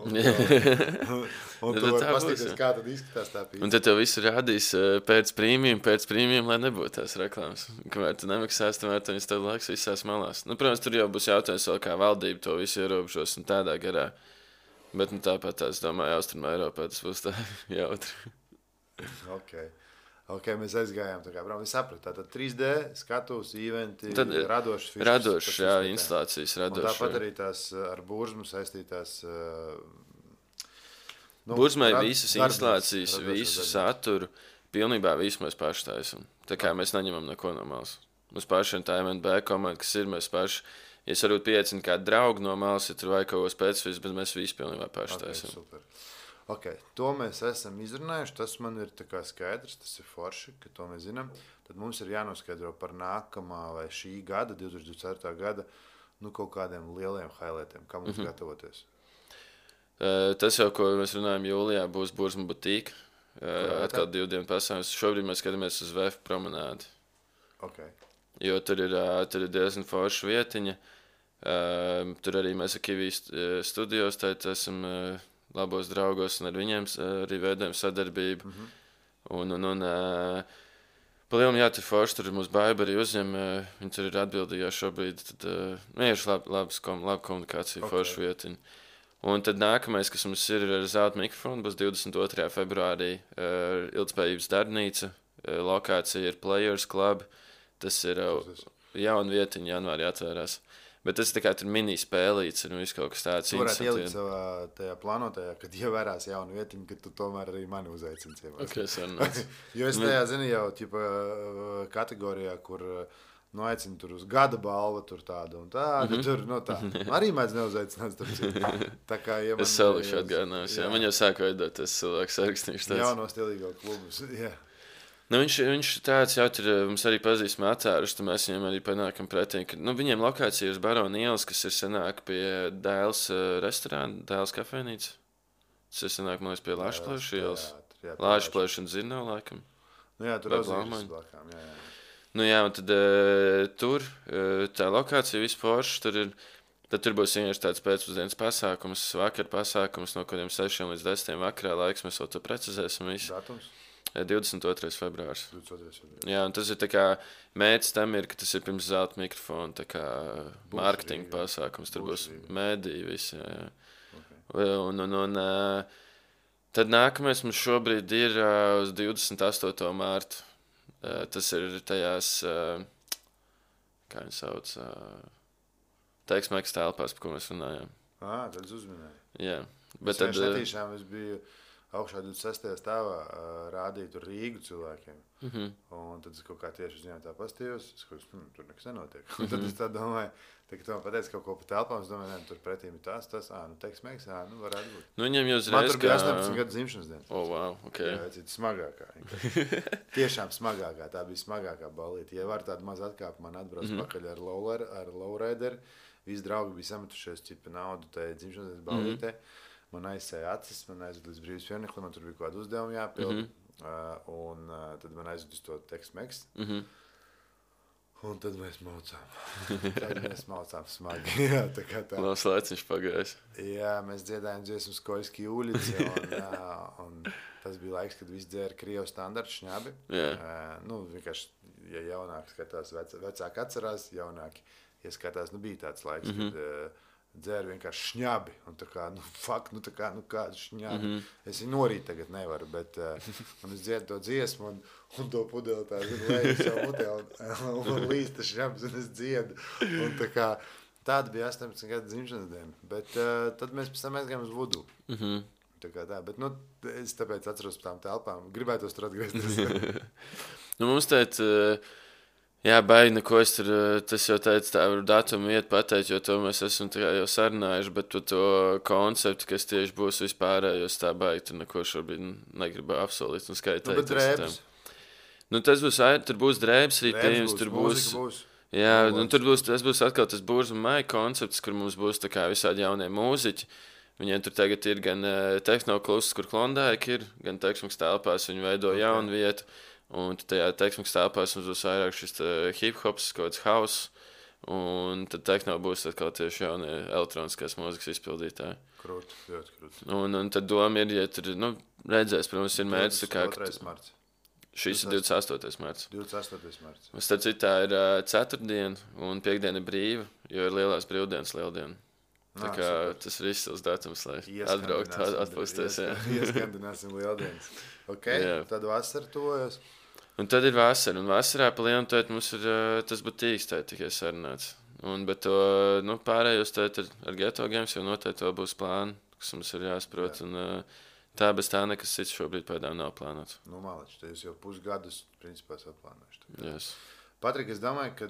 un tu var pastīties, kā tad izskatās tā pizza. Un tad tev visu rādīs pēc prīmiem, lai nebūtu tās reklāmas. Kamēr tu nemaksās, tomēr viņas tev laiks visās malās. Protams, tur jau būs jautājums vēl, kā valdība to visu ierobežos un tādā garā. Bet tāpat es domāju, Austrumā Eiropā tas būs tā jautri. Ok, mēs aizgājām tā kā, es sapratu, tātad 3D, skatus, eventi, radošas fišas. Radošas, jā, instalācijas radošas. Un tāpat arī tās ar burzmu saistītās... Burzmai visas instalācijas, visu saturu, pilnībā visu mēs paši taisam. Tā kā mēs neņemam neko no malas. Mums pašiem tā MNB komanda, kas ir, mēs paši, ja es varbūt pieecinu kādu draugu no malas, ja tur vajag kaut ko specifisku, bet mēs visu pilnībā paši taisam. Super. Ok, to mēs esam izrunājuši, tas man ir tā kā skaidrs, tas ir forši, ka to mēs zinām. Tad mums ir jānoskaidro par nākamā vai šī gada, 2024. gada, kaut kādiem lieliem highlightiem, kā mums gatavoties. Tas jau, ko mēs runājam jūlijā, būs Burzma butīka, atkal 2 dienu pasākums. Šobrīd mēs skatāmies uz VF promenādi. Okay. Jo tur ir diezgan forša vietiņa. Tur arī mēs ar Kivijas studijos, tad esam... labos draugos un ar viņiem arī veidojam sadarbību. Palielam, tur forši, tur mūsu baiba arī uzņem, viņi tur ir atbildīgā šobrīd, tad vienkārši laba komunikācija, forša vietiņa. Un tad nākamais, kas mums ir ar zelta mikrofonu, būs 22. februārī ilgtspējības darbnīca, lokācija ir Players Club, tas ir jauna vietiņa, janvārī atvērās. Bet tas tā kā tur mini-spēlīts un viss kaut kas tāds. Tu varētu ielikt savā tajā plānotajā, kad ievērās jaunu vietiņu, kad tu tomēr arī mani uzaicini ciemos. Okay, jo es tajā zinu jau ķipa, kategorijā, kur aicinu tur uz gada balvu, tur tādu un tādu. Tur, tā. Arī mēdz neuzaicināt. Tā kā, ja es salikšu atgādinājums. Man jau sāku veidot tas cilvēks sarakstīšu tāds. Jauno stilīgo klubus, jā. Nu, viņš tāds jau ir, mums arī pazīstami atcēruši, tad mēs viņiem arī panākam pretī, ka viņiem lokācija uz Barona ielas, kas ir senāk pie Dēls restorāna, Dēls kafēnīca. Tas ir senāk, man liekas, pie Lāšplēša ielas. Lāšplēša un Zirnau, laikam. Nu jā, tur Ozīris blakām, jā. Nu jā, un tad tur, tā lokācija vispārši, tad tur būs vienkārši tāds pēcpusdienas pasākums, vakar pasākums, no kuriem 6 līdz 10 vakarā laiks, mēs vēl to precizēsim visu. Datums? 22. februārs. 22. februārs. Jā, un tas ir tā kā mērķis tam ir, ka tas ir pirms zelta mikrofona, tā kā mārketinga pasākums, tur būs mēdī visi, jā. Okay. Un tad nākamais mums šobrīd ir uz 28. mārtu. Tas ir tajās, kā viņi sauc, teiksmēks telpās, par ko mēs runājām. Tad uzminēju. Jā. Bet tad netīšām es biju augšā 26. stāvā rādīja tur Rīgu cilvēkiem. Un tad es kaut kā tieši uz viņiem tā pastījos, tur nekas nenotiek. Un tad es tā domāju, ka tu man pateici kaut ko pa telpām, es domāju, tur pretīm ir tas, teiksmēks, varētu būt. Nu, viņam jau uzreiz, man tur bija 18 gadu dzimšanas diena. Wow, ok. Jā, cita smagākā. Tiešām smagākā, tā bija smagākā ballīte. Ja var tādu maz atkāpu, man atbrauc pakaļ ar lowrideru. Visi draugi bija sametušies ķipa naudu tajā dzimšanas dienas ballītē. Man aizsēja acis, man aizved līdz brīvības pieminieklim, man tur bija kaut kāda uzdevuma jāpild. Un tad man aizved uz to teiksmēks. Un tad mēs maucām smagi. Jā, tā kā tā. Labs laiciņš pagājis. Jā, mēs dziedājām dziesmu Skoļski ulici. Un tas bija laiks, kad visi dzēra Krievu standartu šņabi. Vienkārši, ja jaunāki skatās, vecāki atcerās, jaunāki ieskatās, bija tāds laiks, kad dzēra vienkārši šņabi. Un tā kā, kādu šņabi. Es viņu norīt tagad nevaru, bet un es dziedu to dziesmu un to pudeli tā leju savu mutē un līsta šņabs un es dziedu. Un tā kā, tāda bija 18 gadu dzimšanas diena. Bet tad mēs pēc tam aizgājām uz Vudu. Tā kā tā, bet es tāpēc atceros par tām telpām. Gribētos tur atgriezties. Mums tēt... Jā, baigi, neko es tur, tas jau teicu, tā var datumu iet pateikt, jo to mēs esam jau sarunājuši, bet to konceptu, kas tieši būs vispārējos, tā baigi, tur neko šobrīd negribu apsolīt un skaitēt. Bet drēbes? Tur būs drēbes arī pieejams, tur būs. Jā, un tas būs atkal tas Būrs un Maija koncepts, kur mums būs tā kā visādi jaunie mūziķi. Viņiem tur tagad ir gan tehnoklusts, kur Klondike ir, gan teiksmēks telpās, viņi veido jaunu vietu. Un tajā teiksmēks telpās mums būs vairāk šis hip-hops, kaut kāds house, un tad tehno būs atkal tieši jaunie elektroniskās mūzikas izpildītāji. Krūti, ļoti krūti. Un tad doma ir, ja tur, redzēs, protams, ir mērķis, kā... 22. marts. Šis ir 28. marts. 28. marts. Tad citā ir ceturtdiena, un piekdiena ir brīva, jo ir lielās brīvdienas lieldiena. Tā kā tas ir izcils datums, lai atbraukt, atpūsties. Ieskandināsim lieldienas. Ok, tad vasara tuvojas. Un tad ir vasara, un vasarā pa lielu tēt mums ir tas butīgs tēt tikai sarunāts. Bet to, pārējos tēt ar Geto Games jau noteikti vēl būs plāni, kas mums ir jāsaprot, un tā bez tā nekas cits šobrīd pēdām nav plānots. Malič, te jūs jau pusgadus, principā, atplānojuši. Yes. Patrik, es domāju, ka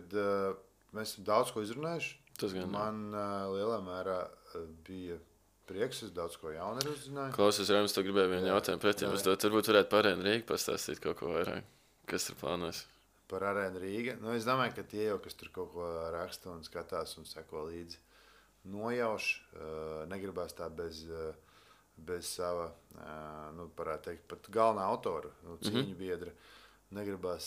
mēs daudz ko izrunājuši. Tas gan. Man lielā mērā bija prieks, es daudz ko jaunu ir uzzināju. Klausies, Raims, tu gribēji vienu jautājumu pretī. Varbūt varētu par Arēnu Rīgu pastāstīt kaut ko vairāk. Kas tur plānojas? Par Arēnu Rīga? Es domāju, ka tie jau, kas tur kaut ko raksta un skatās un seko līdzi, nojauš. Negribās tā bez sava, parētu teikt, pat galvenā autora, cīņu biedra, negribās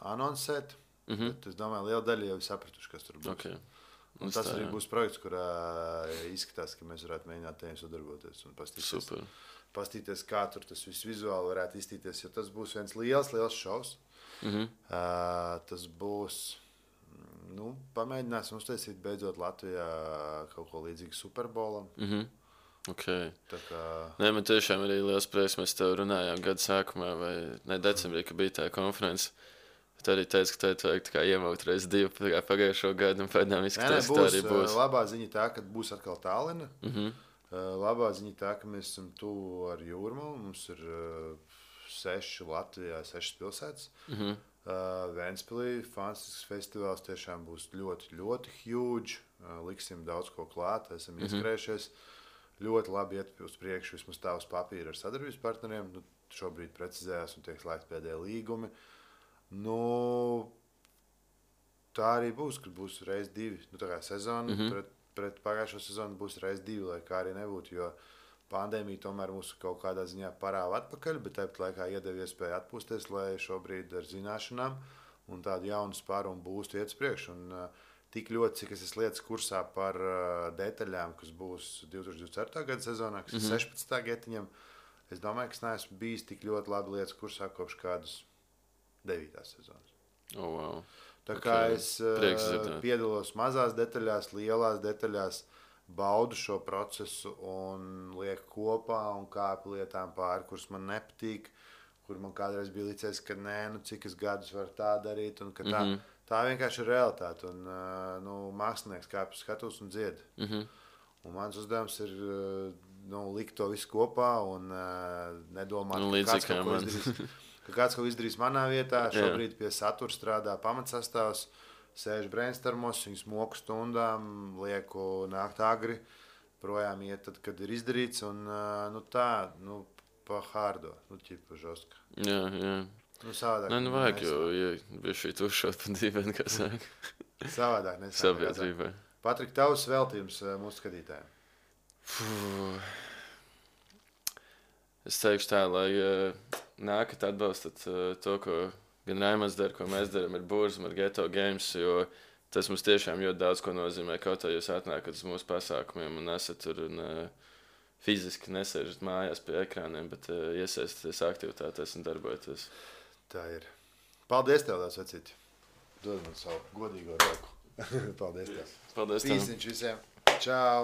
anonsēt. Bet es domāju, liela daļa jau ir sapratuši, kas tur būs. Okay. Un tas arī būs projekts, kurā izskatās, ka mēs varētu mēģināt tiem sadarboties un pastīties, kā tur tas viss vizuāli varētu izstīties, jo tas būs viens liels šovs. Tas būs, pamēģināsim uztaisīt beidzot Latvijā kaut ko līdzīgu Superbolam. Okay. Tā kā... Nē, man tiešām arī liels prieks, mēs tev runājām gada sākumā vai decembrī, ka bija tā konference. Tu arī teici, ka tev vajag iemaukt reiz 2 pagājušo gadu, un pēdējām izskatās, ka tā arī būs. Labā ziņa tā, ka būs atkal Tallinna. Labā ziņa tā, ka mēs esam tuvu ar Jūrmalu. Mums ir 6 Latvijā, 6 pilsētas. Ventspilī fantastisks festivāls tiešām būs ļoti, ļoti huge. Liksim daudz ko klāt, esam ieskrējušies. Ļoti labi iet uz priekšu, vismaz tā uz papīra ar sadarbības partneriem. Nu, šobrīd precizējās un tiek slēgti pēdējie līgumi. Nu, tā arī būs, kad būs reiz 2. Nu, tā kā sezona pret pagājušo sezonu būs reiz 2, lai kā arī nebūtu, jo pandēmija tomēr mūs kaut kādā ziņā parāva atpakaļ, bet tāpat laikā iedeva iespēju atpūsties, lai šobrīd ar zināšanām un tādu jaunu spāru un būstu iet uz priekšu. Un tik ļoti, cik es esmu lietas kursā par detaļām, kas būs 2024. Gada sezonā, kas ir 16. getiņam, es domāju, ka es neesmu bijis tik ļoti labi lietas kursā kopš kādas 9. sezonas. Oh, wow. Tā kā es piedalos mazās detaļās, lielās detaļās, baudu šo procesu un lieku kopā un kāpu lietām pāri, kuras man nepatīk, kur man kādreiz bija licies, ka nē, nu cik es gadus varu tā darīt un ka tā vienkārši ir realitāte. Un nu, mākslinieks kāp skatos un dzied. Un mans uzdevums ir likt to visu kopā un nedomāt, ka kāds kaut ko izdarīs manā vietā. Šobrīd pie satura strādā pamatsastāvs, sēž brainstormos, viņus moku stundām, lieku nākt agri, projām iet tad, kad ir izdarīts. Un pa hārdo, ķipa žostka. Jā. Nu, savādāk. Nu vajag, jo bija šī tušot pa dīvaini, kā sāk. Savādāk nesāk. Sabiedrībai. Patrik, tavs veltījums mūsu skatītājiem. Es teikšu tā, lai nākat atbalstat to, ko gan Raimonds dara, ko mēs darām ar Burzum, ar Ghetto Games, jo tas mums tiešām ļoti daudz ko nozīmē. Kaut kā jūs atnākat uz mūsu pasākumiem un esat tur un fiziski nesēžat mājās pie ekrāniem, bet iesaistaties aktivitātēs un darbojaties. Tā ir. Paldies tev, tās vecīti. Dod man savu godīgo roku. Paldies tev. Paldies tev. Pīsiņš visiem. Čau.